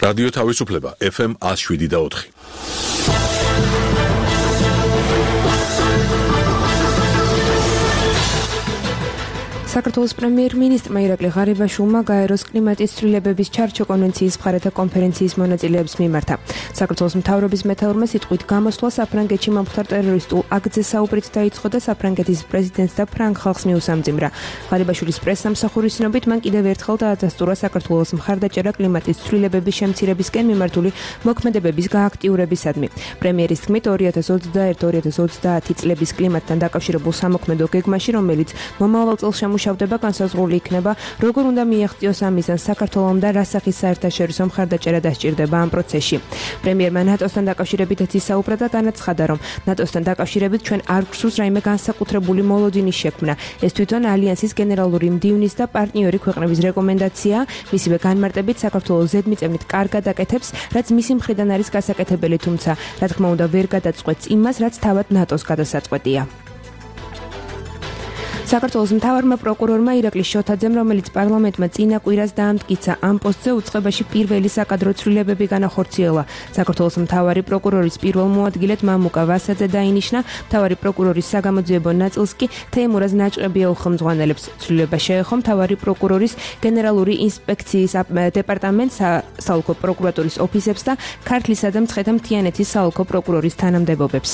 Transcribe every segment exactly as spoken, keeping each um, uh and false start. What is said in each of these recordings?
რადიო თავისუფლება ეფ ემ one oh seven და four. საქართველოს პრემიერ-მინისტრმა ირაკლი ღარიბაშვილმა გაეროს კლიმატის ცვლილებების ჩარჩო კონვენციის მხარეთა კონფერენციის მონაწილეებს მიმართა. საქართველოს მთავრობის მეთაურმა სიტყვით გამოსვლა საფრანგეთში მომხდარ ტერორისტულ აქტზე საუბრით დაიწყო და საფრანგეთის პრეზიდენტს და ფრანგ ხალხს მიუსამძიმრა. ღარიბაშვილის პრესსამსახურის ცნობით მან კიდევ ერთხელ დაადასტურა საქართველოს მხარდაჭერა კლიმატის ცვლილებების შემცირებისკენ მიმართული მოქმედებების გააქტიურებისადმი. პრემიერის თქმით two thousand twenty-one two thousand twenty წლების კლიმატთან დაკავშირებულ სამოქმედო გეგმაში, რომელიც მომავალ წელს შევდება განსაზღვრული იქნება, როგორ უნდა მიაღწიოს ამ მიზანს საქართველომ და რა სახის საერთაშორისო მხარდაჭერა დასჭირდება ამ პროცესში. პრემიერმა ნატოსთან დაკავშირებით ისაუბრა და განაცხადა, რომ ნატოსთან დაკავშირებით ჩვენ არ გვსურს რაიმე განსაკუთრებული მოლოდინის შექმნა. ეს თვითონ ალიანსის გენერალური მდივნის და პარტნიორი ქვეყნების რეკომენდაციაა, მისივე განმარტებით საქართველოს ზედმიწევნით კარგად აკეთებს, რაც მისი მხრიდან არის გასაკეთებელი, თუმცა რა თქმა უნდა ვერ გადაწყვეტს იმას, რაც თავად ნატოს გადასაწყვეტია. საქართველოს მთავარმა პროკურორმა ირაკლი შოთაძემ, რომელიც პარლამენტმა წინა კვირას დაამტკიცა ამ პოსტზე, უწყებაში პირველი საკადრო ცვლილებები განახორციელა. საქართველოს მთავარი პროკურორის პირველ მოადგილედ მამუკა ვასაძე დაინიშნა, მთავარი პროკურორის საგამოძიებო ნაწილს კი თეიმურაზ ნაჭყებია უხელმძღვანელებს. ცვლილება შეეხო მთავარი პროკურორის გენერალური ინსპექციის დეპარტამენტს, საოლქო პროკურატურის ოფისებს და ქართლისა და მცხეთა-მთიანეთის საოლქო პროკურორის თანამდებობებს.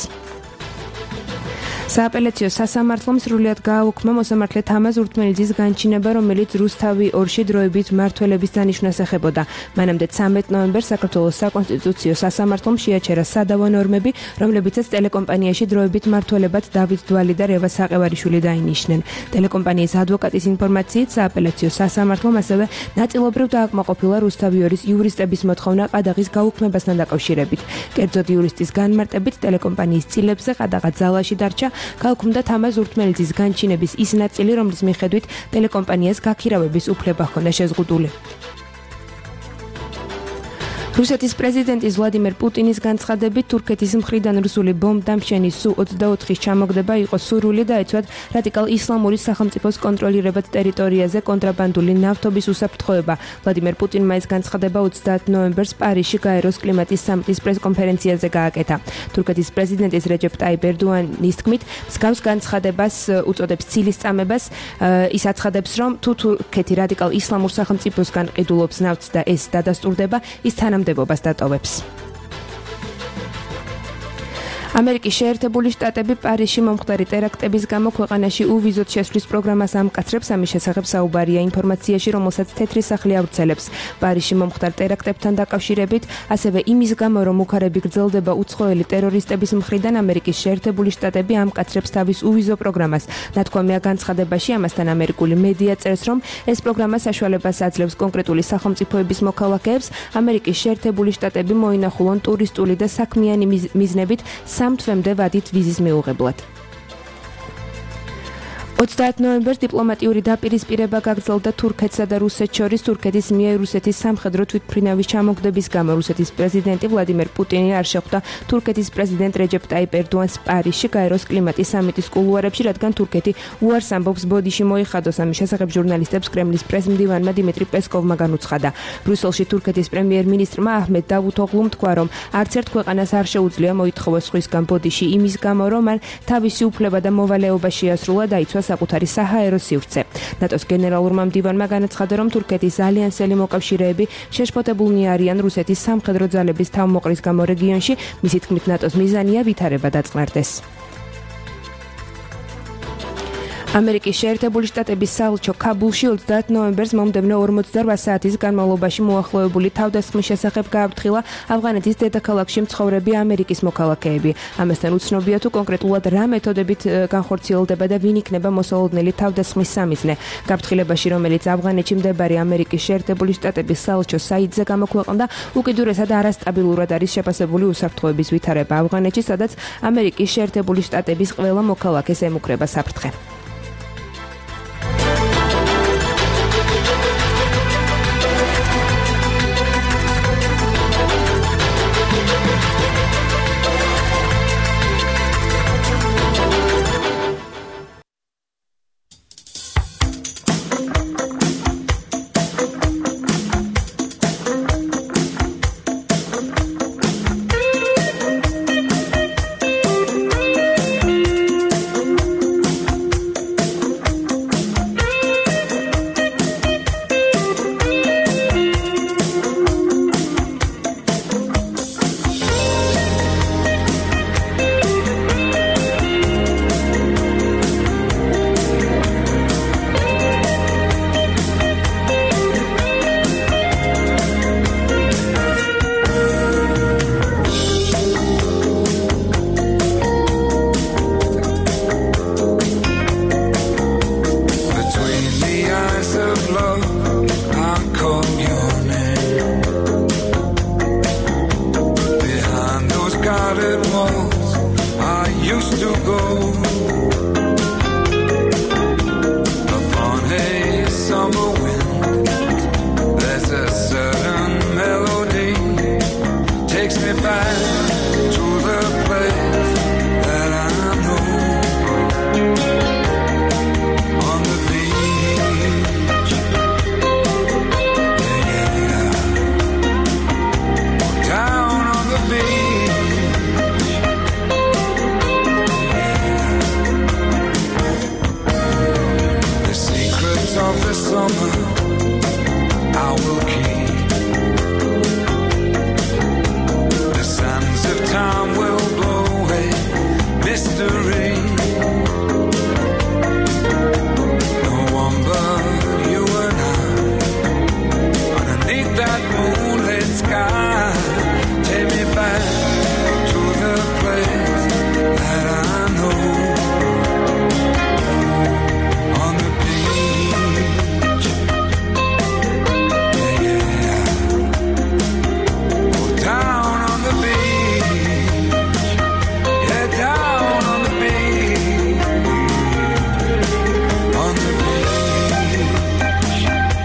სააპელაციო სასამართლომ სრულად გააუქმა მოსამართლე თამაზ ურთმელიძის განჩინება, რომელიც რუსთავი ორში დროებით მმართველების დანიშვნას ეხებოდა. მანამდე ცამეტ ნოემბერს საქართველოს საკონსტიტუციო სასამართლომ შეაჩერა სადავო ნორმები, რომლებიცაც ტელეკომპანიაში დროებით მმართველებად დავით დვალი და რევა საყევარიშვილი დაინიშნენ. ტელეკომპანიის ადვოკატის ინფორმაციით, სააპელაციო სასამართლომ ასევე ნაწილობრივ დააკმაყოფილა რუსთავი ორის იურისტების მოთხოვნა ყადაღის გაუქმებასთან დაკავშირებით. კერძოდ იურისტის განმარტებით, ტელეკომპანიის წილებზე ყადაღა ძალაში დარჩა. გაუქმდა თამაზ ურთმელიძის განჩინების ის ნაწილი, რომლის მიხედვით ტელეკომპანიას გაქირავების უფლება ჰქონდა შეზღუდული. რუსეთის პრეზიდენტის ვლადიმერ პუტინის განცხადებით, თურქეთის მხრიდან რუსული ბომბდამშენის სუ ოცდაოთხის ჩამოგდება იყო სურვილი დაეცვათ რადიკალ ისლამური სახელმწიფოს კონტროლირებად ტერიტორიაზე კონტრაბანდული ნავთობის უსაფრთხოება. ვლადიმერ პუტინმა ეს განცხადება ოცდაათი ნოემბერს პარიზში გაეროს კლიმატის სამიტის პრესკონფერენციაზე გააკეთა. თურქეთის პრეზიდენტის რეჯეპ ტაიპ ერდოანის თქმით, მსგავს განცხადებას უწოდებს ცილის წამებას. ის აცხადებს, რომ თუ თურქეთი რადიკალ ისლამურ სახელმწიფოსგან ყიდულობს ნავთს და ეს დადასტურდება, ის თანამდებობას დატოვებს. ამერიკის შეერთებული შტატები პარიზში მომხდარი ტერაქტების გამო ქვეყანაში უვიზოთ შესვლის პროგრამას ამკაცრებს. ამის შესახებ საუბარია ინფორმაციაში, რომელსაც თეთრი სახლი ავრცელებს. პარიზში მომხდარ ტერაქტებთან დაკავშირებით, ასევე იმის გამო, რომ უქარები გრძელდება უცხოელი ტერორისტების მხრიდან, ამერიკის შეერთებული შტატები ამკაცრებს თავის უვიზო პროგრამას. ნათქვამია განცხადებაში, ამასთან ამერიკული მედია წერს, რომ ეს პროგრამა საშუალებას აძლევს კონკრეტული სახელმწიფოების მოქალაქეებს ამერიკის შეერთებული შტატები მოინახულონ ტურისტული და საქმიანი მიზნებით სამ თვემდე ვადით ვიზის მიუღებლად. ოცდაათი ნოემბერს დიპლომატიური დაპირისპირება გაგრძელდა თურქეთსა და რუსეთს შორის თურქეთის მიერ რუსეთის სამხედრო თვითმფრინავის ჩამოგდების გამო. რუსეთის პრეზიდენტი ვლადიმერ პუტინი არ შეხვდა თურქეთის პრეზიდენტ რეჯეპ ტაიპ ერდოანს პარიზში გაეროს კლიმატის სამიტის კულუარებში, რადგან თურქეთი უარს ამბობს ბოდიში მოიხადოს. ამის შესახებ ჟურნალისტებს კრემლის პრესმდივანმა დიმიტრი პესკოვმა განუცხადა. ბრიუსელში თურქეთის პრემიერ-მინისტრმა აჰმედ დავუთოღლუმ თქვა, რომ არც ერთ ქვეყანას არ შეუძლია მოითხოვოს სხვისგან ბოდიში იმის გამო, რომ მან თავისი უფლება და მოვალეობა შეასრულა დაიცვა საკუთარი საჰაერო სივრცე. ნატოს გენერალურმა მდივანმა განაცხადა, რომ თურქეთის ალიანსელი მოკავშირეები შეშფოთებულნი არიან რუსეთის სამხედრო ძალების თავმოყრის გამო რეგიონში. მისი თქმით, ნატოს მიზანია ვითარება დაწყნარდეს. ამერიკის შეერთებული შტატების საელჩო ქაბულში ოცდაათი ნოემბერს მომდევნო ორმოცდაორ საათის განმავლობაში მოახლოებული თავდასხმის შესახებ გააფრთხილა ავღანეთის დედაქალაქში მცხოვრები ამერიკის მოქალაქეები. ამასთან უცნობია თუ კონკრეტულად რა მეთოდებით განხორციელდება და ვინ იქნება მოსალოდნელი თავდასხმის სამიზნე. გაფრთხილებაში, რომელიც ავღანეთში მდებარე ამერიკის შეერთებული შტატების საელჩო საიტზე გამოქვეყნდა, უკიდურესად არასტაბილურად არის შეფასებული უსაფრთხოების ვითარება ავღანეთში, სადაც ამერიკის შეერთებული შტატების ყველა მოქალაქეს ემუქრება საფრთხე. summer I will keep. The sands of time will blow away mystery. No one but you and I underneath that moonlit sky. Take me back to the place that I know. On the beach, yeah, yeah. Go down on the beach, yeah, down on the beach, on the beach, yeah, yeah. On the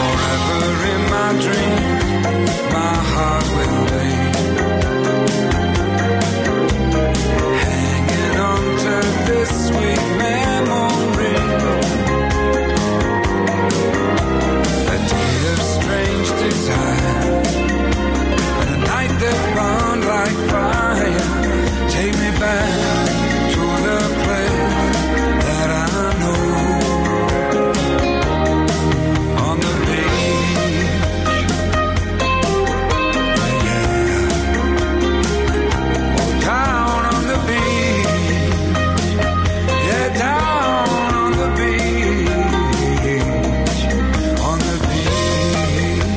forever in my dream, my heart will be hanging on to this sweet memory. A day of strange desire and a night that burned like fire. Take me back to the place that I know. On the beach, yeah. Oh, down on the beach, yeah, down on the beach, on the beach, yeah, yeah. On the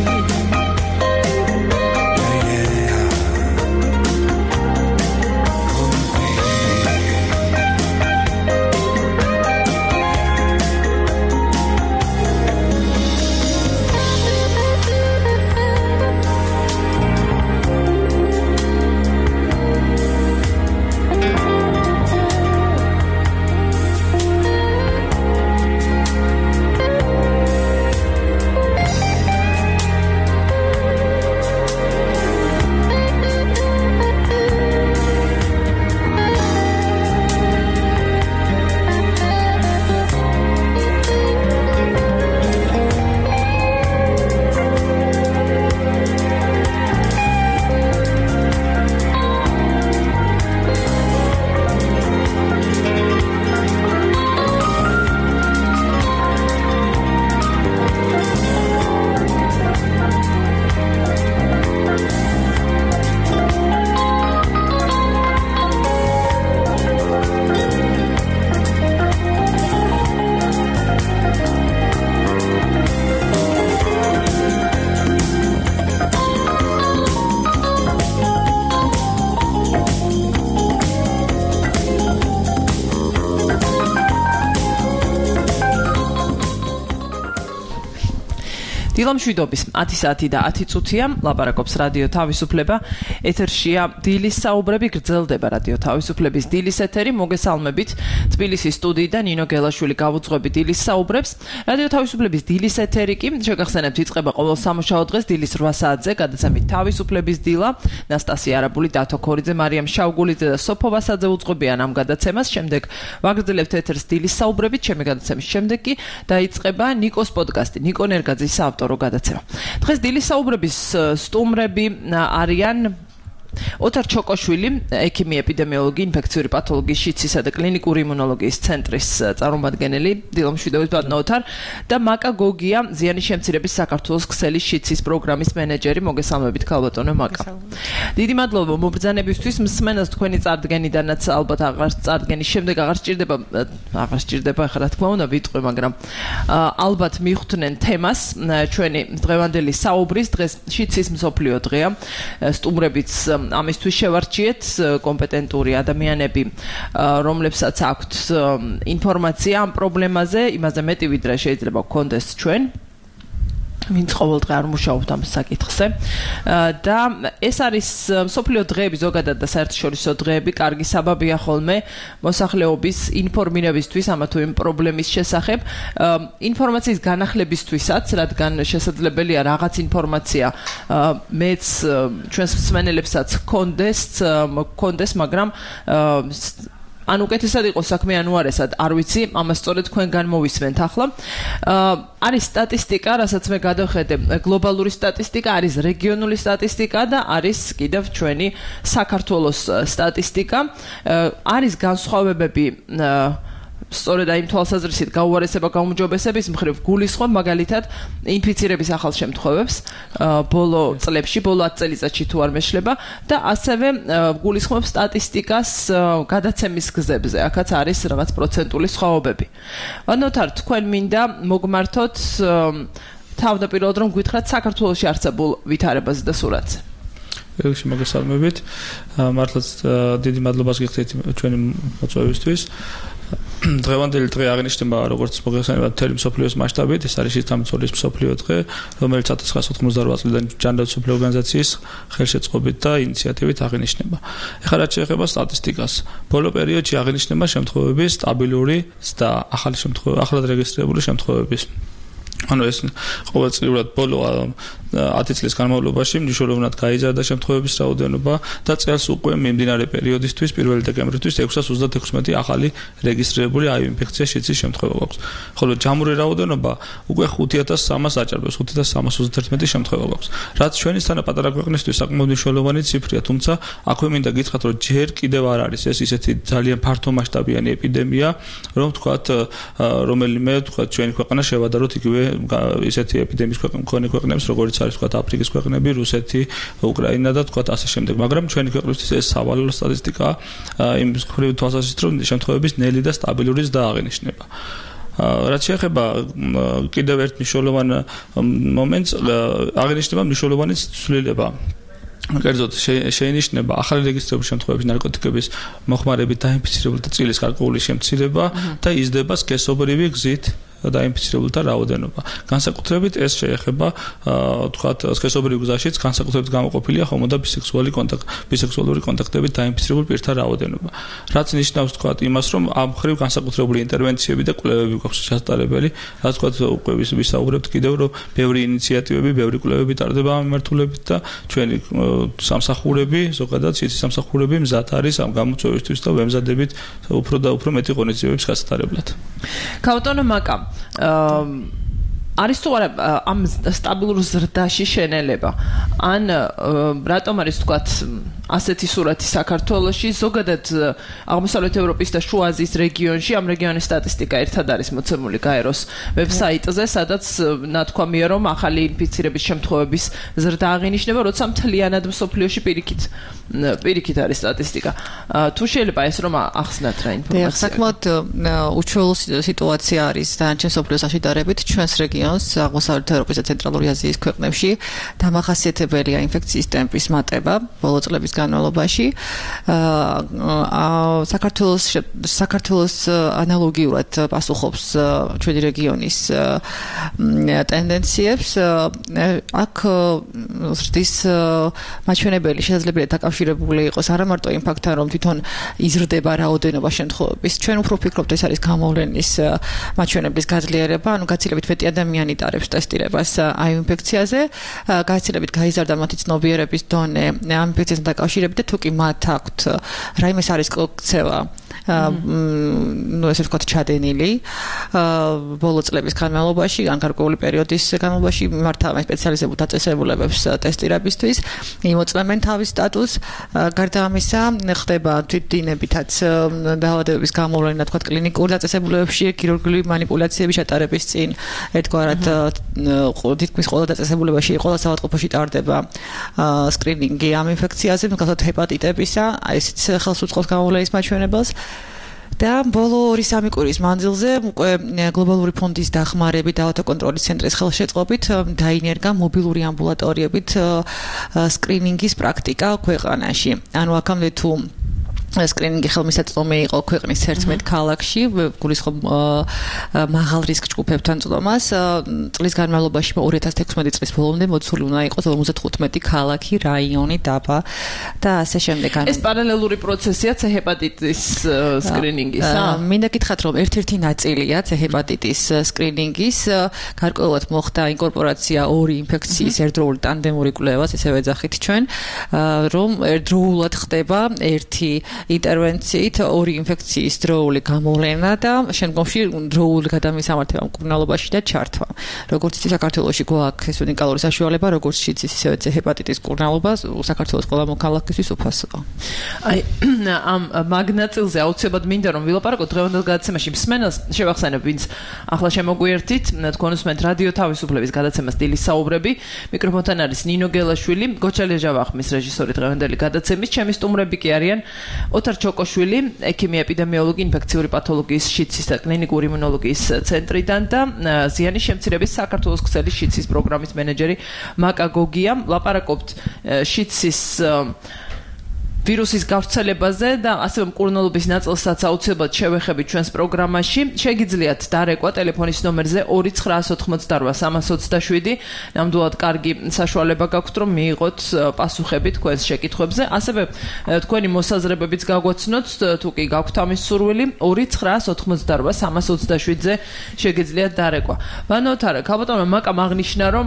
დილამშვიდობის ათი საათი და ათი წუთია, ლაპარაკობს რადიო თავისუფლება. ეთერშია დილის საუბრები, გრძელდება რადიო თავისუფლების დილის ეთერი. მოგესალმებით თბილისის სტუდიიდან ნინო გელაშვილი გავუძღვები დილის საუბრებს. რადიო თავისუფლების დილის ეთერი კი შეგახსენებთ იწყება ყოველ სამუშაო დღეს დილის რვა საათზე, გადაცემით თავისუფლების დილა. ნასტასია არაბული, დათო ქორიძე, მარიამ შავგულიძე და სოფო ვასაძე უძღვებიან ამ გადაცემას. შემდეგ ვაგრძელებთ ეთერს დილის საუბრებით. ჩემი გადაცემის შემდეგ კი დაიწყება ნიკოს პოდკასტი, ნიკო ნერგაძის საავტორო გადაცემა. დღეს დილის საუბრების სტუმრები არიან ოთარ ჩოკოშვილი, ექიმი, ეპიდემიოლოგი, ინფექციური პათოლოგიის, შიცისა და კლინიკური იმუნოლოგიის ცენტრის წარმომადგენელი, დილამშვიდობით ბატონო ოთარ და მაკა გოგია, ზიანის შემცირების საქართველოს ქსელის შიცის პროგრამის მენეჯერი. მოგესალმებით ქალბატონო მაკა. დიდი მადლობა მომბრძანებისთვის, მსმენელს თქვენი წარდგენიდანაც ალბათ აღარ წარდგენის შემდეგ აღარ სჭირდება აღარ სჭირდება ახლა რა თქმა უნდა ვიტყვი, მაგრამ ალბათ მიხვდნენ თემას ჩვენი დღევანდელი საუბრის. დღეს შიცის მსოფლიო დღეა. სტუმრებიც ამისთვის შევარჩიეთ კომპეტენტური ადამიანები, რომლებსაც აქვთ ინფორმაცია ამ პრობლემაზე, იმაზე მეტი ვიდრე შეიძლება გქონდეს ჩვენ. ვინც ყოველდღე არ მუშაობთ ამ საკითხზე და ეს არის მსოფლიო დღეები ზოგადად და საერთაშორისო დღეები კარგი საბაბია ხოლმე მოსახლეობის ინფორმირებისთვის ამა თუ იმ პრობლემის შესახებ ინფორმაციის განახლებისთვისაც რადგან შესაძლებელია რაღაც ინფორმაცია მეც ჩვენს მსმენელებსაც გქონდეს გქონდეს მაგრამ ან უკეთესად იყოს საქმე ანუ არასად არ ვიცი ამას სწორედ თქვენგან მოვისმენთ ახლა არის სტატისტიკა რასაც მე გადავხედე გლობალური სტატისტიკა არის რეგიონული სტატისტიკა და არის კიდევ ჩვენი საქართველოს სტატისტიკა არის განსხვავებები სწორედ აი თვალსაზრისით გაუარესება გაუმჯობესების მხრივ გულისხმობ მაგალითად ინფიცირების ახალ შემთხვევებს ბოლო წლებში ბოლო ათ წელიწადში თუ არ მეშლება და ასევე გულისხმობ სტატისტიკას გადაცემის გზებზე აქაც არის რაღაც პროცენტული სხვაობები ვანოთარ თქვენ მინდა მოგმართოთ თავდაპირველად რომ გითხრათ საქართველოში არსებულ ვითარებაზე და სურათზე ექვსი მოგესალმებით მართლაც დიდი მადლობას გიხდით ჩვენი მოწვევისთვის დღევანდელი დღე აღინიშნება როგორც მოგესალმებით მთელი მსოფლიოს მასშტაბით ეს არის შეთამბერის მსოფლიო დღე რომელიც ათას ცხრაასი ოთხმოცდარბა წლიდან ჯანდაცვის მსოფლიო ორგანიზაციის ხელშეწყობით და ინიციატივით აღინიშნება ეხლა რაც შეეხება სტატისტიკას ბოლო პერიოდში აღინიშნება შემთხვევების სტაბილური და ახალი შემთხვევები ახლად რეგისტრირებული შემთხვევების ანუ ეს ყოველწლიურად ბოლო ათი წლის განმავლობაში მნიშვნელოვნად გაიზარდა შემთხვევების რაოდენობა და წელს უკვე მიმდინარე პერიოდისთვის პირველი დეკემბრისთვის ექვსას ოცდათექვსმეტი ახალი რეგისტრირებული აივ ინფექციის შიცის შემთხვევა გვაქვს. ხოლო ჯამური რაოდენობა უკვე ხუთი ათას სამას აჭარბებს, ხუთი ათას სამას ოცდაერთმეტი შემთხვევა გვაქვს. რაც ჩვენისთანა პატარა ქვეყნისთვის საკმაოდ მნიშვნელოვანი ციფრია, თუმცა აქვე მინდა გითხრათ, რომ ჯერ კიდევ არ არის ეს ისეთი ძალიან ფართო მასშტაბიანი ეპიდემია, რომ თქვათ რომელიმე თქვათ ჩვენი ქვეყანა შევადაროთ იგივე ისეთი ეპიდემიის მქონე ქვეყნებს, როგორც არის თქვათ აფრიკის ქვეყნები, რუსეთი, უკრაინა და თქვათ ასე შემდეგ. მაგრამ ჩვენი ქვეყნისთვის ეს სავალალო სტატისტიკაა იმ მხრივ თვალსაზრისით, რომ შემთხვევების ნელი და სტაბილურიც დააღინიშნება. რაც შეეხება კიდევ ერთ მნიშვნელოვან მომენტს, აღინიშნება მნიშვნელოვანი ცვლილება. კერძოდ შეინიშნება ახალი რეგისტრირებული შემთხვევების ნარკოტიკების მოხმარებით დაინფიცირებულთა წილის გარკვეული შემცირება და იზრდება სქესობრივი გზით დაინფიცირებულთა რაოდენობა. განსაკუთრებით ეს შეეხება თქვათ სქესობრივ გზაშიც განსაკუთრებით გამოყოფილია ჰომო და ბისექსუალი კონტაქტ ბისექსუალური კონტაქტებით დაინფიცირებულ პირთა რაოდენობა. რაც ნიშნავს თქვათ იმას, რომ ამ მხრივ განსაკუთრებული ინტერვენციები და კვლევები გვაქვს შესაძლებელი, რაც თქვათ უკვე ვისაუბრებთ კიდევ, რომ ბევრი ინიციატივები, ბევრი კვლევები ტარდება ამ მიმართულებით და ჩვენი სამსახურები, ზოგადად სიცის სამსახურები მზად არის ამ გამოწვევისთვის და ვემზადებით უფრო და უფრო მეტი ღონისძიებების გასატარებლად. ქაუტონო მაკა არის თუ არა ამ სტაბილურ ზრდაში შენელება ან რატომ არის თქვათ ასეთი სურათი საქართველოში ზოგადად აღმოსავლეთ ევროპის და შუა აზიის რეგიონში ამ რეგიონის სტატისტიკა ერთად არის მოცემული გაეროს ვებსაიტზე სადაც ნათქვამია რომ ახალი ინფიცირების შემთხვევების ზრდა აღინიშნება როცა მთლიანად მსოფლიოში პირიქით პირიქით არის სტატისტიკა თუ შეიძლება ეს რომ ახსნათ რა ინფორმაცია საკმაოდ უჩვეულო სიტუაცია არის დანარჩენ მსოფლიოს აშიდარებით ჩვენს რეგიონს აღმოსავლეთ ევროპის და ცენტრალური აზიის ქვეყნებში დამახასიათებელია ინფექციის ტემპის მატება ბოლო წლების განმავლობაში საქართველოს საქართველოს ანალოგიურად პასუხობს ჩვენი რეგიონის ტენდენციებს აქ ზრდის მაჩვენებელი შესაძლებელია დაკავშირებული იყოს არა მარტო იმ ფაქტთან რომ თვითონ იზრდება რაოდენობა შემთხვევების ჩვენ უფრო ვფიქრობთ ეს არის გამოვლენის მაჩვენებლის გაძლიერება ანუ გაცილებით მეტი ადამიანი იტარებს ტესტირებას აივ ინფექციაზე გაცილებით გაიზარდა მათი ცნობიერების დონე ამ ინფექციასთან დაკავშირებით და თუ კი მათ აქვთ რაიმე სარისკო ქცევა ну ესე ვთქვათ ჩადენილი ბოლო წლების განმავლობაში ან გარკვეული პერიოდის განმავლობაში მართავენ სპეციალიზებულ დაწესებულებებს ტესტირებისთვის იმოწმენ თავის სტატუსს გარდა ამისა ხდება თვითდინებითაც დაავადებების გამოვლენა თქვათ კლინიკურ დაწესებულებებში ქირურგიული манипуляციების ჩატარების წინ ერთგვარად თითქმის ყველა დაწესებულებაში ყველა საავადმყოფოში ტარდება სკრინინგი ამ ინფექციაზე მაგალითად ჰეპატიტებისა აი ესეც ხელს უწყობს გამოვლენის მაჩვენებელს და ბოლო ორი სამი კვირის მანძილზე უკვე გლობალური ფონდის დახმარებით და ავტოკონტროლის ცენტრის ხელშეწყობით დაინერგა მობილური ამბულატორიებით სკრინინგის პრაქტიკა ქვეყანაში. ანუ აქამდე თუ სკრინინგი ხელმისაწვდომი იყო ქვეყნის ერთმეტ ქალაქში, გულისხმობ მაღალ რისკ ჯგუფებთან წვდომას. წლის განმავლობაში ორი ათას თექვსმეტი წლის ბოლომდე მოცული უნდა იყოს ორმოცდახუთმეტი ქალაქი, რაიონი, დაბა და ასე შემდეგ. ეს პარალელური პროცესია C ჰეპატიტის სკრინინგისა? მინდა გითხრათ, რომ ერთ-ერთი ნაწილია C ჰეპატიტის სკრინინგის, გარკვეულად მოხდა ინკორპორაცია ორი ინფექციის ერთდროული ტანდემური კვლევას, ესე ვეძახით ჩვენ, რომ ერთდროულად ხდება ერთი ინტერვენციით ორი ინფექციის დროული გამოვლენა და შემდგომში დროული გადამისამართება მკურნალობაში და ჩართვა. როგორც იცი, საქართველოში გვაქვს ეს უნიკალური საშუალება, როგორც იცი, ისევე C ჰეპატიტის მკურნალობა საქართველოს ყველა მოქალაქისთვის უფასოა. აი, ამ მაგნაწილზე აუცილებლად მინდა რომ ვილაპარაკოთ დღევანდელ გადაცემაში მსმენელს შევახსენებ, ვინც ახლა შემოგვიერთით, თქვენ უსმენთ რადიო თავისუფლების გადაცემას დილის საუბრები. მიკროფონთან არის ნინო გელაშვილი, გოჩალია ჟავახმის რეჟისორი დღევანდელი გადაცემის, ჩემი სტუმრები კი არიან ოთარ ჩოკოშვილი, ექიმი ეპიდემიოლოგი, ინფექციური პათოლოგიის შიცის და კლინიკური იმუნოლოგიის ცენტრიდან და ზიანის შემცირების საქართველოს ქსელის შიცის პროგრამის მენეჯერი მაკა გოგია. ლაპარაკობთ შიცის ვირუსის გავრცელებაზე და ასევე მკურნალობის ნაწილსაც აუცილებლად შევეხებით ჩვენს პროგრამაში. შეგიძლიათ დარეკვა ტელეფონის ნომერზე ორი ცხრაას ოთხმოცდარვა სამას ოცდაშვიდი. ნამდვილად კარგი საშუალება გაქვთ რომ მიიღოთ პასუხები თქვენს შეკითხვებზე. ასევე თქვენი მოსაზრებებიც გაგვაცნოთ, თუ კი გაქვთ ამის სურვილი, ორი ცხრაას ოთხმოცდარვა სამას ოცდაშვიდზე შეგიძლიათ დარეკვა. ბანოთარა, ქალბატონმა მაკამ აღნიშნა, რომ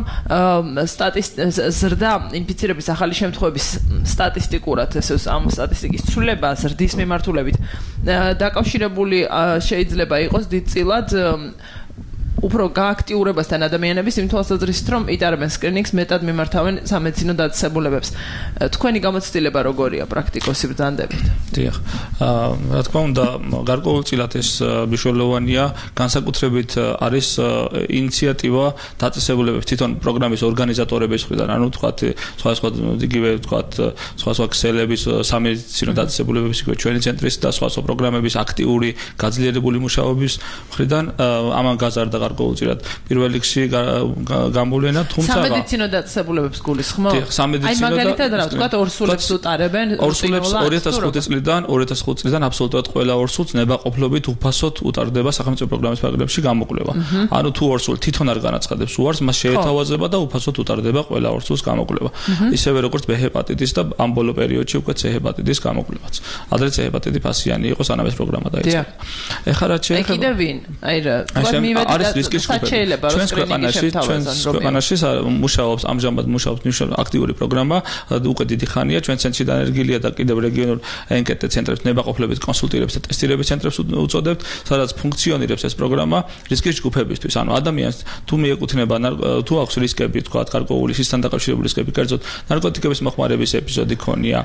ზრდა ინფიცირების ახალი შემთხვევების სტატისტიკურად ესე ამ სტატისტიკის ცვლილება ზრდის მიმართულებით დაკავშირებული შეიძლება იყოს დიდწილად უფრო გააქტიურებასთან ადამიანების იმ თვალსაზრისით, რომ იტარებენ სკრინინგს, მეტად მიმართავენ სამედიცინო დაწესებულებებს. თქვენი გამოცდილება როგორია პრაქტიკოსი ბრძანდებით? დიახ. რა თქმა უნდა, გარკვეულწილად ეს მნიშვნელოვანია, განსაკუთრებით არის ინიციატივა დაწესებულებებს თვითონ პროგრამის ორგანიზატორების მხრიდან, ანუ თქვათ, სხვა სხვა იგივე თქვათ, სხვა სხვა ქსელების სამედიცინო დაწესებულებების, იგივე ჩვენი ცენტრის და სხვა სხვა პროგრამების აქტიური გაძლიერებული მუშაობის მხრიდან ამან გაზარდა გარკვეულწილად პირველ რიგში გამოვლენა, თუმცა სამედიცინო დაწესებულებებს გულისხმობ? აი მაგალითად რა ვთქვათ, ორსულებს უტარებენ ორსულებს ორი ათას ხუთი წლიდან ორი ათას ხუთი წლიდან აბსოლუტურად ყველა ორსულს ნებაყოფლობით უფასოდ უტარდება სახელმწიფო პროგრამის ფარგლებში გამოკვლევა. ანუ თუ ორსული თვითონ არ განაცხადებს უარს, მას შეეთავაზება და უფასოდ უტარდება ყველა ორსულს გამოკვლევა. ისევე როგორც B ჰეპატიტის და ამ ბოლო პერიოდში უკვე C ჰეპატიტის გამოკვლევაც. ადრე C ჰეპატიტი ფასიანი იყო, სანამ ეს პროგრამა დაიწყო. ეხლა რა შეიძლება? კიდევ ვინ? აი რა, თქვენ მივედით არის რისკის საჩეელება რომ სკრინინგი შემთავაზონ ქვეყანაში მუშაობს ამჟამად მუშაობს მნიშვნელოვანი აქტიური პროგრამა უკვე დიდი ხანია ჩვენ ცენტრში დანერგილია და კიდევ რეგიონულ ენკეტ ცენტრებს ნებაყოფლობის კონსულტირების და ტესტირების ცენტრებს უწოდებთ სადაც ფუნქციონირებს ეს პროგრამა რისკის ჯგუფებისთვის ანუ ადამიანს თუ მიეკუთვნება თუ აქვს რისკები თქვა გარკვეული სისთან დაკავშირებული რისკები კერძოდ ნარკოტიკების მოხმარების ეპიზოდი ქონია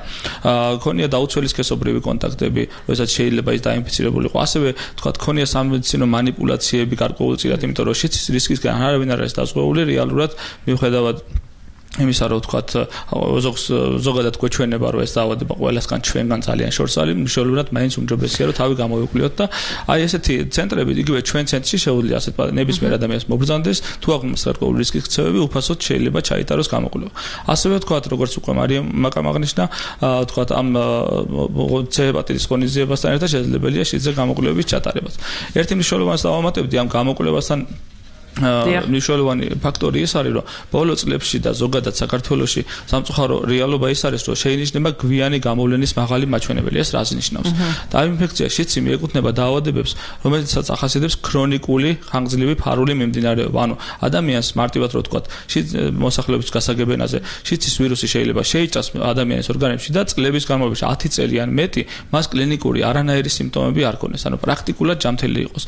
ქონია დაუცველი სქესობრივი კონტაქტები როდესაც შეიძლება ის დაინფიცირებული იყო ასევე თქვა ქონია სამედიცინო манипуляციები გარკვეული წილად, იმიტომ რომ შიც რისკისგან არავინ არ არის დაზღვეული რეალურად მიუხედავად იმისა რომ ვთქვათ ზოგადად გვეჩვენება რომ ეს დაავადება ყველასგან ჩვენგან ძალიან შორს არის მნიშვნელოვნად მაინც უმჯობესია რომ თავი გამოვიკვლიოთ და აი ესეთი ცენტრები იგივე ჩვენ ცენტრში შეუძლია ასეთ ნებისმიერ ადამიანს მობრძანდეს თუ აქვს გარკვეული რისკის ქცევები უფასოდ შეიძლება ჩაიტაროს გამოკვლევა ასევე ვთქვათ როგორც უკვე მარიამ მაკამ აღნიშნა ვთქვათ ამ C ჰეპატიტის ღონისძიებასთან ერთად შესაძლებელია შიძე გამოკვლევების ჩატარებაც ერთი მნიშვნელოვანი დავამატებდი ამ გამოკვლევასთან მნიშვნელოვანი ფაქტორი ის არის, რომ ბოლო წლებში და ზოგადად საქართველოში სამწუხარო რეალობა ის არის, რომ შეინიშნება გვიანი გამოვლენის მაღალი მაჩვენებელი. ეს რას ნიშნავს? და ამ ინფექცია შიცი მიეკუთვნება დაავადებებს, რომელიცაც ახასიათებს ქრონიკული ხანგრძლივი ფარული მიმდინარეობა. ანუ ადამიანს მარტივად რო ვთქვათ, მოსახლეობის გასაგებენაზე შიცის ვირუსი შეიძლება შეიჭრას ადამიანის ორგანიზმში და წლების განმავლობაში ათი წელი ან მეტი მას კლინიკური არანაირი სიმპტომები არ ქონდეს. ანუ პრაქტიკულად ჯანმრთელი იყოს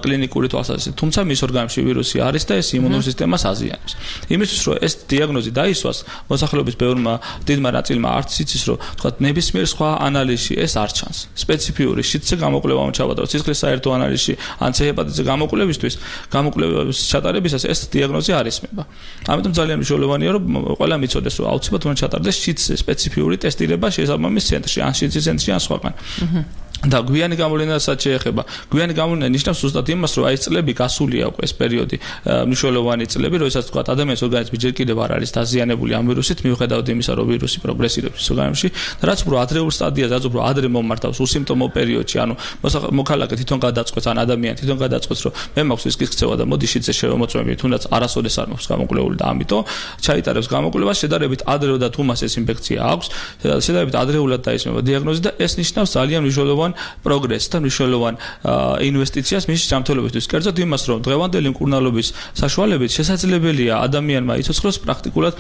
კლინიკური თვალსაზრისით. თუმცა მის ორგანიზმში ვირუსი არის და ეს იმუნურ სისტემას აზიანებს. იმისთვის რომ ეს დიაგნოზი დაისვას, მოსახლეობის ბევრმა დიდმა ნაწილმა არც იცის რომ თქვათ ნებისმიერ სხვა ანალიზში ეს არ ჩანს. სპეციფიური შიდზე გამოკვლევა ჩავატაროთ სისხლის საერთო ანალიზში ან C ჰეპატიტზე გამოკვლევისთვის, გამოკვლევის ჩატარებისას ეს დიაგნოზი არ ისმება. ამიტომ ძალიან მნიშვნელოვანია რომ ყველა მიცოდეს რომ აუცილებლად უნდა ჩატარდეს შიდზე სპეციფიური ტესტირება შესაბამის ცენტრში, ან შიდზის ცენტრში ან სხვაგან. და გვიანი გამოვლენასაც შეეხება. გვიანი გამოვლენა ნიშნავს ზუსტად იმას, რომ აი ეს წლები გასულია უკვე ეს პერიოდი, მნიშვნელოვანი წლები, როდესაც თქვა ადამიანის ორგანიზმი ჯერ კიდევ არ არის დაზიანებული ამ ვირუსით, მიუხედავად იმისა, რომ ვირუსი პროგრესირებს ორგანიზმში და რაც უფრო ადრეულ სტადიაზე, რაც უფრო ადრე მომართავს უსიმპტომო პერიოდში, ანუ მოქალაქე თვითონ გადაწყვეტს, ან ადამიანი თვითონ გადაწყვეტს, რომ მე მაქვს რისკის ქცევა და მოდი შიდზე შევამოწმები, თუნდაც არასოდეს არ მაქვს გამოკვლეული და ამიტომ ჩაიტარებს გამოკვლევას, შედარებით ადრეულად თუ მას ეს ინფექცია აქვს, შედარებით ადრეულად დაისმება დიაგნოზი და ეს ნიშნავს ძალიან მნიშვნელოვან პროგრესს და მნიშვნელოვან ინვესტიციას მის ჯანმრთელობისთვის. კერძოდ იმას, რომ დღევანდელი მკურნალობის საშუალებით შესაძლებელია ადამიანმა იცოცხლოს პრაქტიკულად